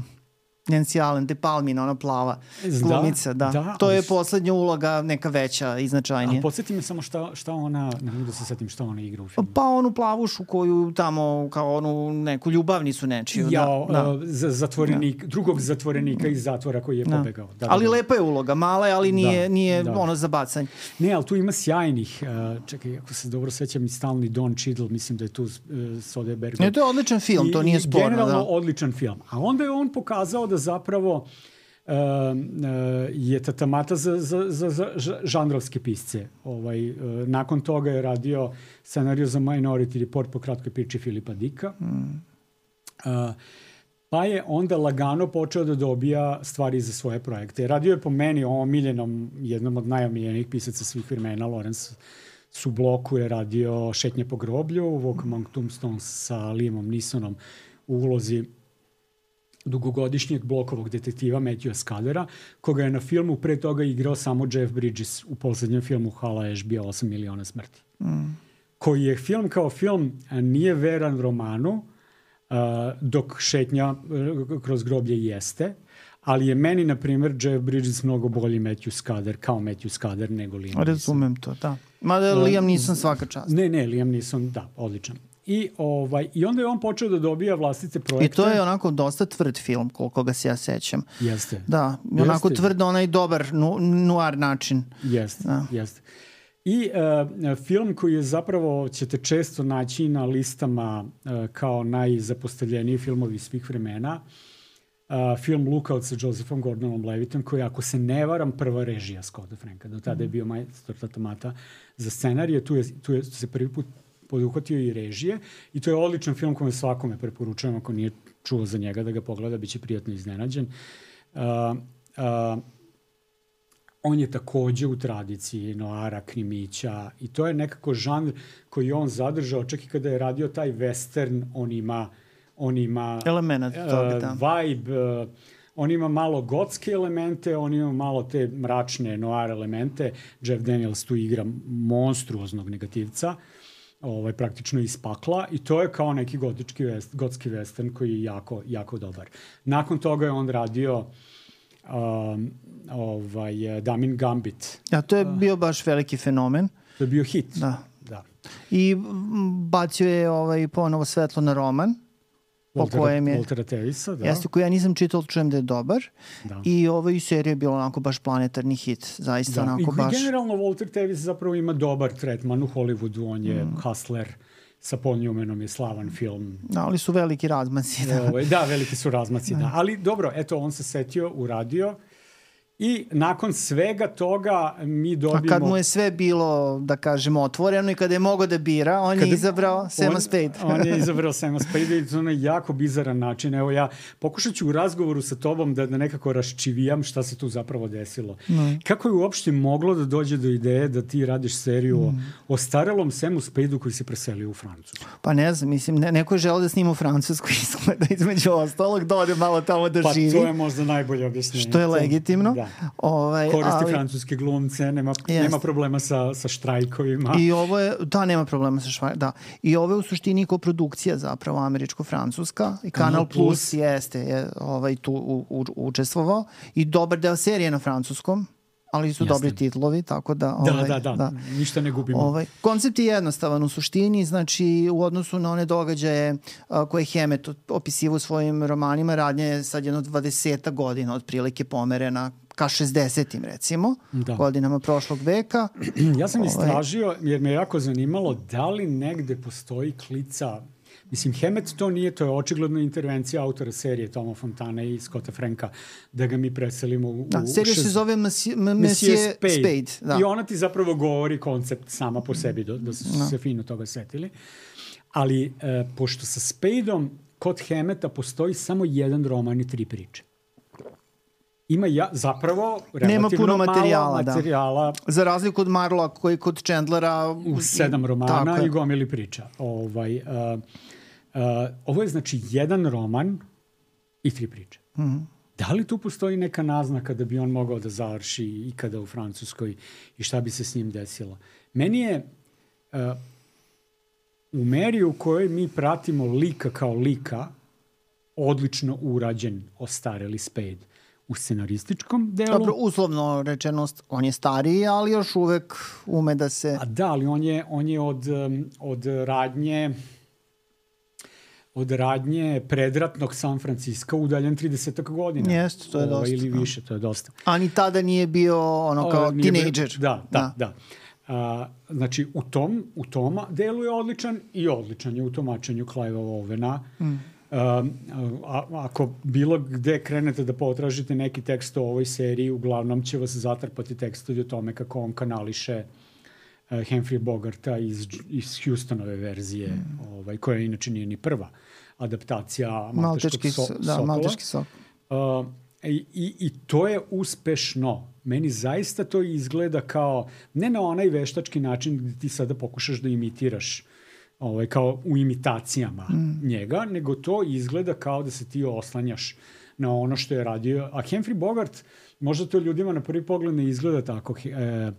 Nancy Allen, De Palmina, ona plava glumica, da. da. To je poslednja uloga, neka veća i značajnija. A podsjeti me samo šta, šta ona, ne mogu da se setim šta ona igra u filmu. Pa onu plavušu koju tamo, kao onu neku ljubavnicu nečiju. Ja, da, da. Uh, zatvorenik, da. drugog zatvorenika iz zatvora koji je da. pobegao. Da, ali da, da. lepa je uloga, mala je, ali nije, da, nije da. ono za bacanje. Ne, ali tu ima sjajnih, uh, čekaj, ako se dobro sećam, i stalni Don Cheadle, mislim da je tu uh, Soderbergh. Ne, to je odličan film, I, to nije sporno. Generalno da. odličan film. A onda je on pokazao da zapravo Uh, uh, je tatamata za, za, za, za žanrovske pisce. Ovaj, uh, nakon toga je radio scenariju za Minority Report po kratkoj priči Filipa Dicka. Mm. Uh, pa je onda lagano počeo da dobija stvari za svoje projekte. Radio je po meni omiljenom, jednom od najomiljenijih pisaca svih vremena, Lawrence Subloku je radio Šetnje po groblju, Walk Among Tombstones sa Liamom Neesonom u ulozi dugogodišnjeg blokovog detektiva Matthewa Scudera, koga je na filmu pre toga igrao samo Jeff Bridges u poslednjem filmu Hala Ashby osam miliona smrti. Mm. Koji je film kao film nije veran romanu, uh, dok Šetnja uh, kroz groblje jeste, ali je meni, na primjer, Jeff Bridges mnogo bolji Matthew Scudder, kao Matthew Scudder nego Liam Neeson. Razumem to, da. Mada uh, Liam Neeson svaka čast. Ne, ne, Liam Neeson, da, odličan. I, ovaj, I onda je on počeo da dobija vlastite projekte. I to je onako dosta tvrd film, koliko ga se ja sećam. Jeste. Da, onako jeste. Tvrd onaj dobar nu, nuar način. Jeste, da. jeste. I uh, film koji je zapravo, ćete često naći na listama uh, kao najzapostavljeniji filmovi svih vremena, uh, film Lookout sa Josephom Gordonom Levitom, koji, ako se ne varam, prva režija Scotta Franka. Do tada je bio majstor tatamata za scenarije. Tu, je, tu je se prvi put poduhvatio i režije i to je odličan film koji svakome preporučujem, ako nije čuo za njega da ga pogleda, bit će prijatno iznenađen. Uh, uh, on je takođe u tradiciji noara, krimića i to je nekako žanr koji je on zadržao, čak i kada je radio taj western, on ima, on ima element toga, da. Uh, vibe, uh, on ima malo gotske elemente, on ima malo te mračne noir elemente. Jeff Daniels tu igra monstruoznog negativca, ovaj, praktično iz pakla i to je kao neki gotički vest, gotski western koji je jako, jako dobar. Nakon toga je on radio um, ovaj, Damin Gambit. Ja, to je bio baš veliki fenomen. To je bio hit. Da. Da. I bacio je ovaj, ponovo svetlo na roman. Waltera Tevisa, da. Jeste, koji ja nisam čitao, čujem da je dobar. Da. I ovaj serija je bila onako baš planetarni hit. Zaista da. onako I baš... generalno Walter Tevis zapravo ima dobar tretman u Hollywoodu. On je mm. hustler, sa Paul Newmanom je slavan film. Da, ali su veliki razmaci. Da, Ove, da veliki su razmaci, da. da. Ali dobro, eto, on se setio, uradio. I nakon svega toga mi dobijemo... A kad mu je sve bilo, da kažemo, otvoreno i kada je mogao da bira, on kada je izabrao Sama Spade. On je izabrao Sama Spade i to na jako bizaran način. Evo ja pokušat ću u razgovoru sa tobom da, da nekako raščivijam šta se tu zapravo desilo. Mm. Kako je uopšte moglo da dođe do ideje da ti radiš seriju mm. o, o starelom Samu Spadeu koji se preselio u Francusku? Pa ne znam, mislim, ne, neko je želeo da snima u Francusku izgleda između ostalog, da ode malo tamo da pa, živi. Pa to je možda najbolje objašnjenje. Što je legitimno. Da. Ovaj, koristi ali, francuske glumce, nema, nema problema sa, sa štrajkovima. I ovo je, da, nema problema sa štrajkovima, da. I ovo je u suštini koprodukcija zapravo američko-francuska i Kanal, Kanal Plus, Plus jeste je, ovaj, tu u, u, učestvovao i dobar deo serije na francuskom, ali su Jasne. dobri titlovi, tako da... Ovaj, da, da, da, da, ništa ne gubimo. Ovaj, koncept je jednostavan u suštini, znači u odnosu na one događaje a, koje Hammett opisiva u svojim romanima, radnja je sad jedno dvadeset godina otprilike pomerena ka šezdesetim recimo, da. godinama prošlog veka. Ja sam istražio, jer me jako zanimalo da li negde postoji klica. Mislim, Hammett to nije, to je očigledno intervencija autora serije Toma Fontana i Scotta Franka, da ga mi preselimo u... Da, serija šest... se zove Monsieur, Monsieur Spade. Spade da. I ona ti zapravo govori koncept sama po sebi, da, da su da. se fino toga setili. Ali, e, pošto sa Spadeom kod Hammetta postoji samo jedan roman i tri priče. Ima ja, zapravo relativno Nema puno materijala, malo materijala. Da. Za razliku od Marlowa koji kod Chandlera... U sedam romana i gomili priča. Ovaj, uh, uh, ovo je znači jedan roman i tri priče. Mm-hmm. Da li tu postoji neka naznaka da bi on mogao da završi ikada u Francuskoj i šta bi se s njim desilo? Meni je uh, u meri u kojoj mi pratimo lika kao lika odlično urađen ostareli Spade. U scenarističkom delu. Dobro, uslovno rečenost, on je stariji, ali još uvek ume da se... A da, ali on je, on je od, od radnje od radnje predratnog San Francisco udaljen trideset godina. Jeste, to je dosta. Ili više, to je dosta. A ni tada nije bio ono kao teenager. Da, da, da. A, znači, u tom, u tom delu je odličan i odličan je u tumačenju Clive'a Ovena. Mm. Um, a, ako bilo gde krenete da potražite neki tekst o ovoj seriji, uglavnom će vas zatrpati tekstovi o tome kako on kanališe uh, Humphrey Bogarta iz, iz Houstonove verzije, mm. ovaj, koja inače nije ni prva adaptacija Malteškog so, da, Sokola. Malteški sok. Uh, i, i, I to je uspešno. Meni zaista to izgleda kao, ne na onaj veštački način gde ti sada pokušaš da imitiraš ovaj, kao u imitacijama mm. njega, nego to izgleda kao da se ti oslanjaš na ono što je radio. A Humphrey Bogart, možda to ljudima na prvi pogled ne izgleda tako. E, e,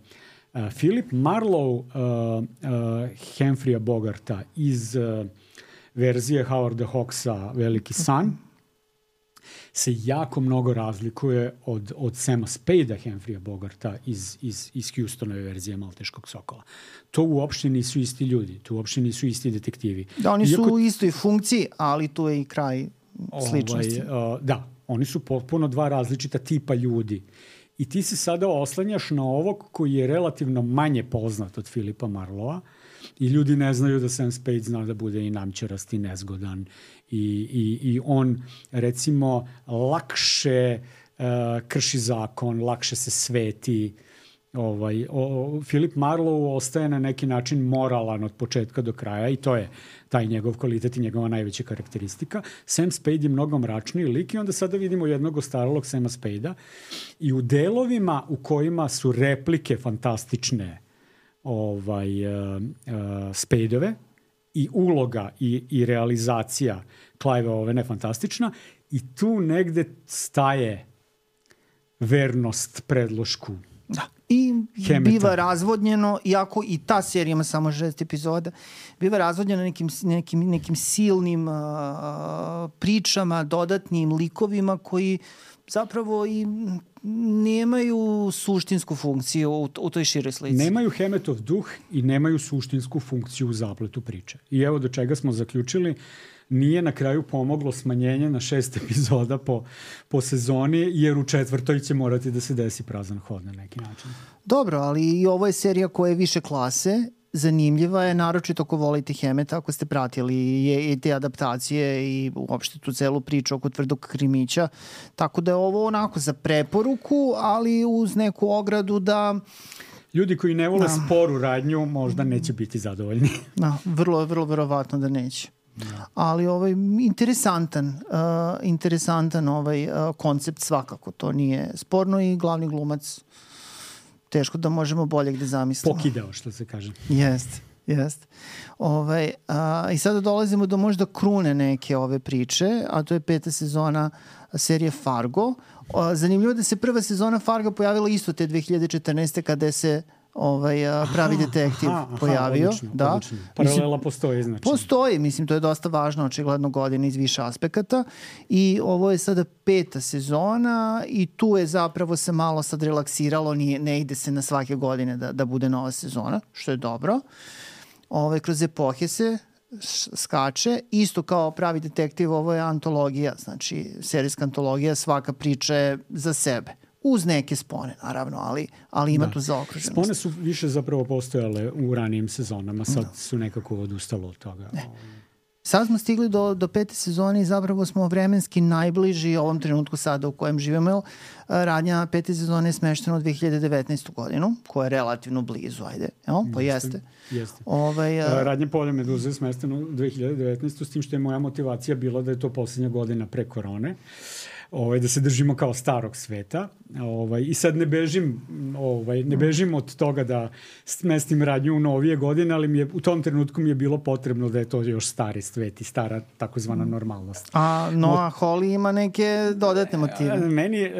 Philip Marlowe e, e, Humphreya Bogarta iz e, verzije Howarda Hawksa Veliki san se jako mnogo razlikuje od, od Sama Spadea Humphrey'a Bogarta iz, iz, iz Houstonove verzije Malteškog sokola. To uopšte nisu isti ljudi, to uopšte nisu isti detektivi. Da, oni Iako, su u istoj funkciji, ali tu je i kraj sličnosti. Ovaj, uh, da, oni su potpuno dva različita tipa ljudi. I ti se sada oslanjaš na ovog koji je relativno manje poznat od Filipa Marlowa i ljudi ne znaju da Sam Spade zna da bude i namćerast i nezgodan i, i, i on recimo lakše uh, krši zakon, lakše se sveti Ovaj, o, Philip Marlowe ostaje na neki način moralan od početka do kraja i to je taj njegov kvalitet i njegova najveća karakteristika. Sam Spade je mnogo mračniji lik i onda sada vidimo jednog ostaralog Sama Spadea i u delovima u kojima su replike fantastične ovaj, uh, uh, Spadeove i uloga i, i realizacija Clive Ovena je fantastična i tu negde staje vernost predlošku. Da. I Hemeta. Biva razvodnjeno, iako i ta serija ima samo šest epizoda, biva razvodnjeno nekim, nekim, nekim silnim uh, pričama, dodatnim likovima koji zapravo i nemaju suštinsku funkciju u, u toj široj slici. Nemaju Hemetov duh i nemaju suštinsku funkciju u zapletu priče. I evo do čega smo zaključili. Nije na kraju pomoglo smanjenje na šest epizoda po, po sezoni, jer u četvrtoj će morati da se desi prazan hod na neki način. Dobro, ali i ovo je serija koja je više klase, zanimljiva je, naročito ako volite Hemeta, ako ste pratili i, i te adaptacije i uopšte tu celu priču oko tvrdog krimića. Tako da je ovo onako za preporuku, ali uz neku ogradu da... Ljudi koji ne vole da. sporu radnju možda neće biti zadovoljni. Da, vrlo, vrlo verovatno da neće. Da. Ali ovaj interesantan uh, interesantan ovaj uh, koncept svakako, to nije sporno i glavni glumac teško da možemo bolje gde zamislimo. Pokidao, što se kaže. Jeste, jeste. Ovaj, uh, i sada dolazimo do možda krune neke ove priče, a to je peta sezona serije Fargo. Uh, zanimljivo da se prva sezona Fargo pojavila isto te dve hiljade četrnaeste kada se ovaj aha, pravi detektiv aha, pojavio. Aha, odlično, da. Odlično. Paralela postoji, znači. Postoji, mislim, to je dosta važno, očigledno godine iz više aspekata i ovo je sada peta sezona i tu je zapravo se malo sad relaksiralo, nije, ne ide se na svake godine da, da bude nova sezona, što je dobro. Ove, kroz epohe se skače, isto kao pravi detektiv, ovo je antologija, znači serijska antologija, svaka priča je za sebe. Uz neke spone, naravno, ali, ali ima da. tu zaokruženost. Spone su više zapravo postojale u ranijim sezonama, sad da. su nekako odustalo od toga. Ne. Sad smo stigli do, do pete sezone i zapravo smo vremenski najbliži ovom trenutku sada u kojem živimo. Radnja pete sezone je smeštena u dve hiljade devetnaestu godinu, koja je relativno blizu, ajde. Jel? Pa jeste. Jeste. Ovaj, a... Radnja Polja Meduze je smeštena u dve hiljade devetnaestu s tim što je moja motivacija bila da je to poslednja godina pre korone. Ovaj, da se držimo kao starog sveta. Ovaj, I sad ne bežim, ovaj, ne bežim od toga da smestim radnju u novije godine, ali mi je, u tom trenutku mi je bilo potrebno da je to još stari svet i stara takozvana normalnost. A Noah Hawley ima neke dodatne motive? Meni,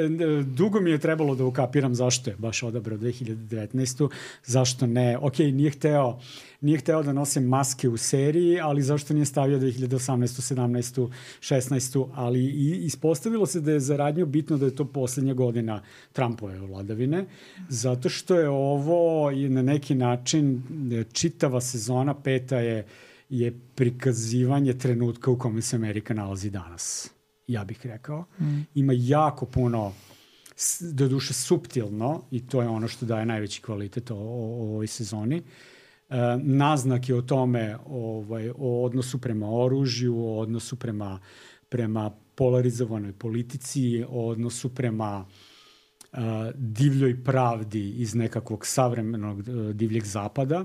dugo mi je trebalo da ukapiram zašto je baš odabrao dve hiljade devetnaestu. Zašto ne? Ok, nije hteo Nije hteo da nose maske u seriji, ali zašto nije stavio dve hiljade osamnaestu, sedamnaestu, šesnaestu, ali i ispostavilo se da je za radnju bitno da je to poslednja godina Trumpove vladavine, zato što je ovo na neki način čitava sezona peta je, je prikazivanje trenutka u kome se Amerika nalazi danas. Ja bih rekao. Mm. Ima jako puno, do duše suptilno, i to je ono što daje najveći kvalitet o, o, o ovoj sezoni, naznake o tome, ovaj, o odnosu prema oružju, o odnosu prema, prema polarizovanoj politici, o odnosu prema uh, divljoj pravdi iz nekakvog savremenog uh, divljeg zapada.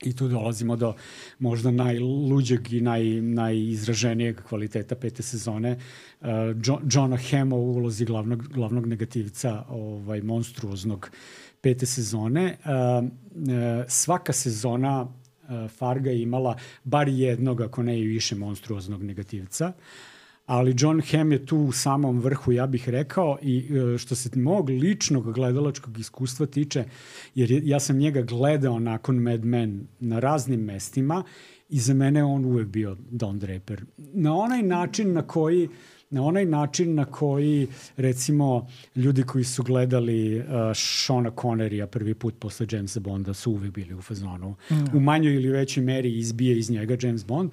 I tu dolazimo do možda najluđeg i naj, najizraženijeg kvaliteta pete sezone. Uh, jo, Johna Hama u ulozi glavnog, glavnog negativca, ovaj, monstruoznog pete sezone. Uh, uh, svaka sezona uh, Farga je imala bar jednog, ako ne i više, monstruoznog negativca. Ali John Hamm je tu u samom vrhu, ja bih rekao, i uh, što se mog ličnog gledalačkog iskustva tiče, jer je, ja sam njega gledao nakon Mad Men na raznim mestima i za mene on uvek bio Don Draper. Na onaj način na koji Na onaj način na koji, recimo, ljudi koji su gledali uh, Seana Connerya prvi put posle Jamesa Bonda su uvek bili u fazonu. Mm. U manjoj ili većoj meri izbije iz njega James Bond.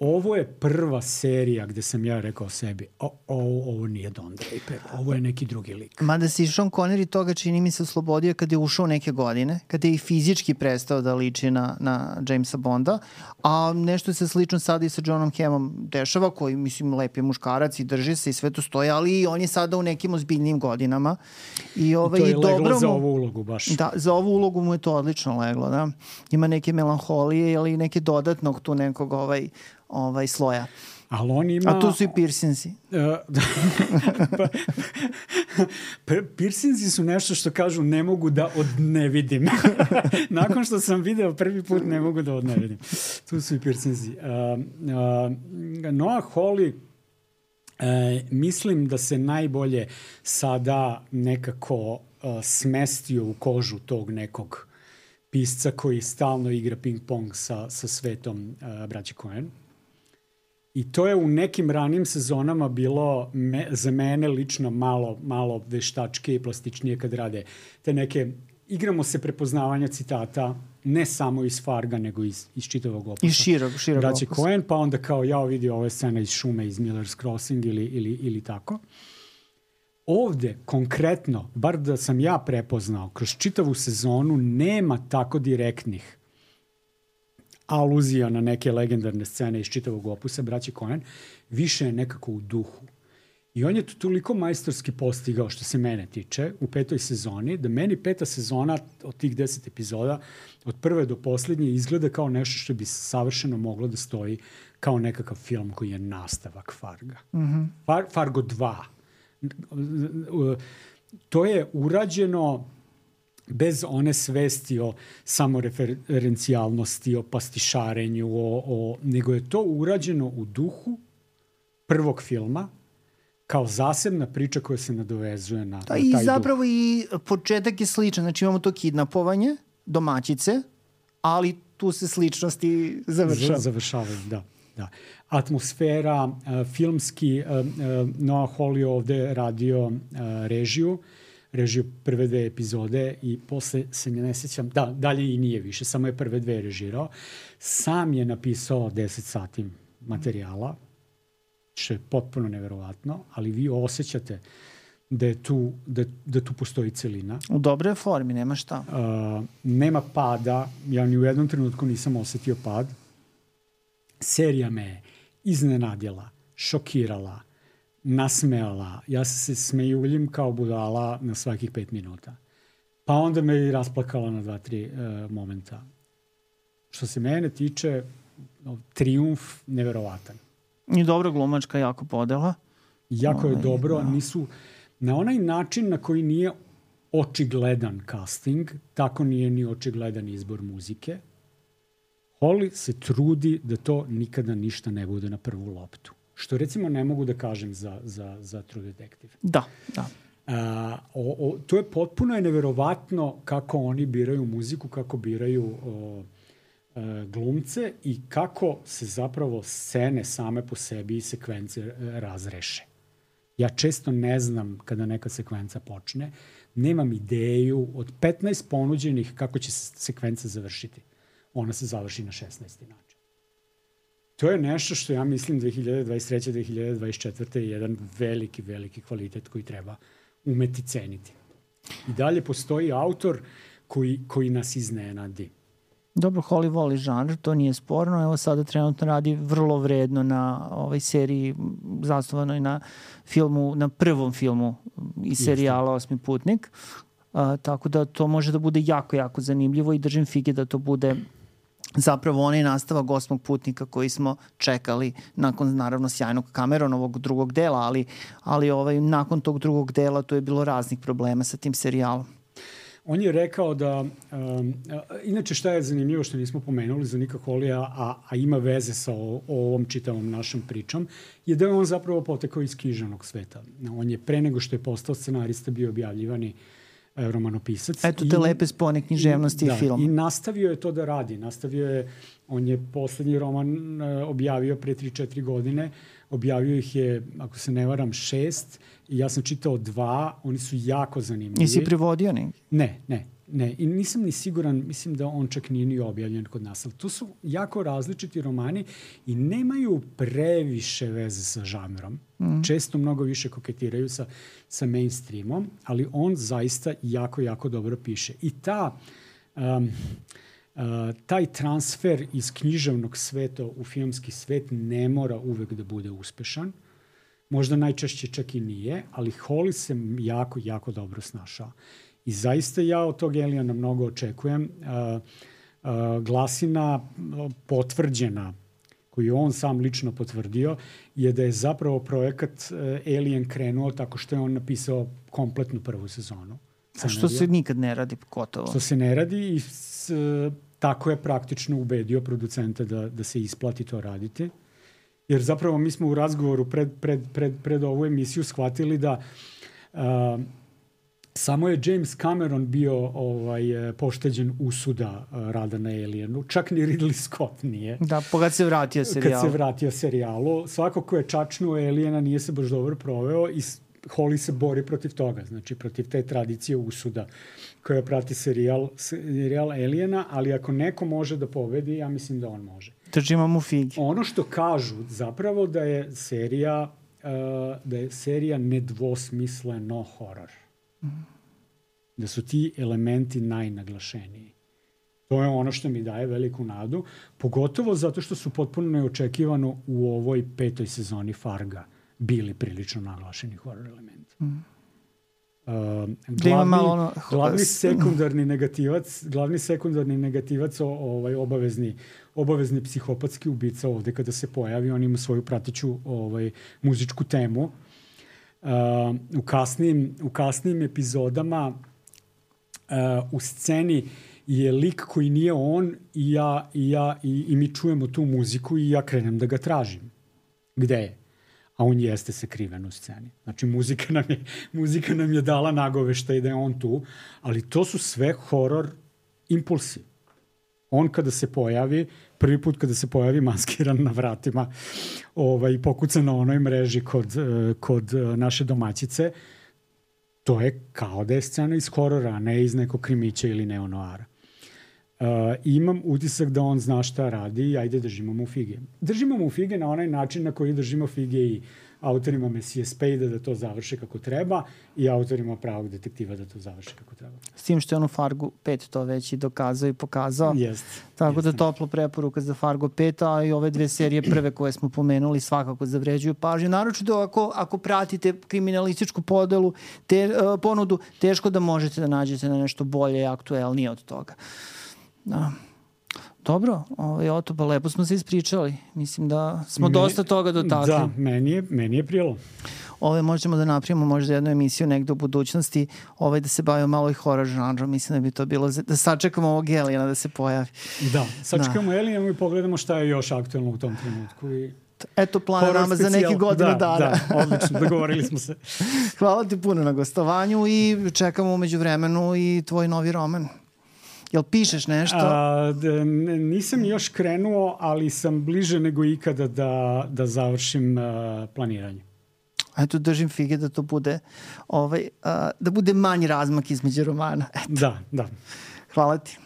ovo je prva serija gde sam ja rekao sebi, o, o, ovo nije Don Draper, ovo je neki drugi lik. Mada si Sean Connery toga čini mi se oslobodio kada je ušao neke godine, kada je i fizički prestao da liči na, na Jamesa Bonda, a nešto se slično sada i sa Johnom Hammom dešava, koji, mislim, lep je muškarac i drži se i sve to stoje, ali on je sada u nekim ozbiljnim godinama. I, ovaj, I to je i leglo dobro za mu, ovu ulogu baš. Da, za ovu ulogu mu je to odlično leglo, da. Ima neke melanholije ili neke dodatnog tu nekog ovaj, ovaj sloja. Ali on ima... A tu su i piercingsi. Uh, pa, pa, piercingsi su nešto što kažu ne mogu da od ne vidim. Nakon što sam video prvi put ne mogu da od ne vidim. Tu su i piercingsi. Uh, uh, Noah Hawley uh, mislim da se najbolje sada nekako uh, smestio u kožu tog nekog pisca koji stalno igra ping-pong sa, sa svetom uh, braće Coen. I to je u nekim ranim sezonama bilo me, za mene lično malo, malo veštačke i plastičnije kad rade te neke, igramo se prepoznavanja citata, ne samo iz Farga, nego iz, iz čitavog opusa. Iz širog, širog braće opusa. Coen, pa onda kao ja vidio ove scene iz Šume, iz Miller's Crossing ili, ili, ili tako. Ovde, konkretno, bar da sam ja prepoznao, kroz čitavu sezonu nema tako direktnih aluzija na neke legendarne scene iz čitavog opusa braće Coen, više je nekako u duhu. I on je to toliko majstorski postigao što se mene tiče u petoj sezoni, da meni peta sezona od tih deset epizoda, od prve do poslednje, izgleda kao nešto što bi savršeno moglo da stoji kao nekakav film koji je nastavak Farga. Mm-hmm. Far, Fargo dva. To je urađeno bez one svesti o samoreferencijalnosti, o pastišarenju, o, o, nego je to urađeno u duhu prvog filma, kao zasebna priča koja se nadovezuje na, da, na taj i duh. zapravo i početak je sličan. Znači imamo to kidnapovanje domaćice, ali tu se sličnosti završava. Z- završavaju, da. Da. Atmosfera, uh, filmski, uh, uh, Noah Hawley ovde radio uh, režiju, režiju prve dve epizode i posle se ne sjećam, da, dalje i nije više, samo je prve dve režirao. Sam je napisao deset sati materijala, što je potpuno neverovatno, ali vi osjećate da je tu, da, da tu postoji celina. U dobroj formi, nema šta. Uh, nema pada, ja ni u jednom trenutku nisam osetio pad. Serija me iznenadila, šokirala, nasmejala. Ja se smejuljim kao budala na svakih pet minuta. Pa onda me i rasplakala na dva, tri uh, momenta. Što se mene tiče, no, trijumf neverovatan. I dobra glumačka, jako podela. Jako je Ove, dobro. da. Nisu, na onaj način na koji nije očigledan casting, tako nije ni očigledan izbor muzike. Hawley se trudi da to nikada ništa ne bude na prvu loptu. Što recimo ne mogu da kažem za, za, za True Detective. Da, da. A, o, o, to je potpuno je neverovatno kako oni biraju muziku, kako biraju o, e, glumce i kako se zapravo scene same po sebi i sekvence e, razreše. Ja često ne znam kada neka sekvenca počne, nemam ideju od petnaest ponuđenih kako će se sekvenca završiti. Ona se završi na šesnaesti način. To je nešto što ja mislim dve hiljade dvadeset treće. dve hiljade dvadeset četvrte je jedan veliki, veliki kvalitet koji treba umeti ceniti. I dalje postoji autor koji, koji nas iznenadi. Dobro, Hawley voli žanr, to nije sporno. Evo sada trenutno radi vrlo vredno na ovoj seriji zasnovanoj na filmu, na prvom filmu iz serijala Osmi putnik. Uh, tako da to može da bude jako, jako zanimljivo i držim fige da to bude zapravo onaj nastavak Osmog putnika koji smo čekali nakon naravno sjajnog Cameronovog drugog dela, ali, ali ovaj, nakon tog drugog dela to je bilo raznih problema sa tim serijalom. On je rekao da, um, inače šta je zanimljivo što nismo pomenuli za Nika Hawleya, a, a ima veze sa o, o ovom čitavom našom pričom, je da je on zapravo potekao iz književnog sveta. On je pre nego što je postao scenarista bio objavljivani romanopisac. Eto te I, lepe spone književnosti i, i filma. I nastavio je to da radi. Nastavio je, on je poslednji roman uh, objavio pre tri četiri godine. Objavio ih je, ako se ne varam, šest. I ja sam čitao dva. Oni su jako zanimljivi. Nisi prevodio neki? Ne, ne. Ne, i nisam ni siguran, mislim da on čak nije ni objavljen kod nas, ali to su jako različiti romani i nemaju previše veze sa žanrom. Mm. Često mnogo više koketiraju sa, sa mainstreamom, ali on zaista jako, jako dobro piše. I ta, um, uh, taj transfer iz književnog sveta u filmski svet ne mora uvek da bude uspešan. Možda najčešće čak i nije, ali Holly se jako, jako dobro snašao. I zaista ja od tog Aliena mnogo očekujem. Uh, uh, glasina potvrđena, koju on sam lično potvrdio, je da je zapravo projekat uh, Alien krenuo tako što je on napisao kompletnu prvu sezonu. A što se nikad ne radi gotovo? Što se ne radi i s, uh, tako je praktično ubedio producenta da, da se isplati to raditi. Jer zapravo mi smo u razgovoru pred, pred, pred, pred ovu emisiju shvatili da uh, samo je James Cameron bio ovaj, pošteđen usuda uh, rada na Alienu. Čak ni Ridley Scott nije. Da, pa kad se vratio serijalu. Kad se vratio serijalu. Svako ko je čačnuo Aliena nije se baš dobro proveo i Holly se bori protiv toga. Znači, protiv te tradicije usuda koja prati serijal, serijal Aliena, ali ako neko može da pobedi, ja mislim da on može. Držimo mu figi. Ono što kažu zapravo da je serija, uh, da je serija nedvosmisleno horor. Mm. Da su ti elementi najnaglašeniji. To je ono što mi daje veliku nadu, pogotovo zato što su potpuno neočekivano u ovoj petoj sezoni Farga bili prilično naglašeni horor elementi. Mm. Uh, glavni, ono... glavni sekundarni negativac glavni sekundarni negativac o, ovaj, obavezni, obavezni psihopatski ubica ovde kada se pojavi, on ima svoju prateću ovaj, muzičku temu. Uh, u, kasnim, u kasnim epizodama uh, u sceni je lik koji nije on i ja, i, ja, i, i mi čujemo tu muziku i ja krenem da ga tražim. Gde je? A on jeste sakriven u sceni. Znači, muzika nam je, muzika nam je dala nagoveštaj da je on tu, ali to su sve horor impulsi. On kada se pojavi, prvi put kada se pojavi maskiran na vratima ovaj, pokuca na onoj mreži kod, kod naše domaćice, to je kao da je scena iz horora, a ne iz nekog krimića ili neonoara. Uh, imam utisak da on zna šta radi i ajde držimo mu fige. Držimo mu fige na onaj način na koji držimo fige i autorima Mesije Spade da to završe kako treba i autorima Pravog detektiva da to završe kako treba. S tim što je on u Fargu pet to već i dokazao i pokazao. Jest. Tako jest. da toplo preporuka za Fargo pet, a i ove dve serije prve koje smo pomenuli svakako zavređuju pažnju. Naročito ako, ako pratite kriminalističku podelu, te, uh, ponudu, teško da možete da nađete na nešto bolje i aktuelnije od toga. Da. Dobro, ovaj, Oto, pa lepo smo se ispričali. Mislim da smo Me, dosta toga dotakli. Da, meni je, meni je prijelo. Ove možemo da napravimo možda jednu emisiju negde u budućnosti, ovaj, da se bavimo malo i horror žanrom. Mislim da bi to bilo, da sačekamo ovog Aliena da se pojavi. Da, sačekamo da. Aliena i pogledamo šta je još aktuelno u tom trenutku. I eto plana nama za neki godinu da, dana. Da, odlično, dogovorili smo se. Hvala ti puno na gostovanju i čekamo umeđu vremenu i tvoj novi roman. Jel pišeš nešto? A, d, nisam još krenuo, ali sam bliže nego ikada da, da završim uh, planiranje. Eto, držim fige da to bude, ovaj, uh, da bude manji razmak između romana. Eto. Da, da. Hvala ti.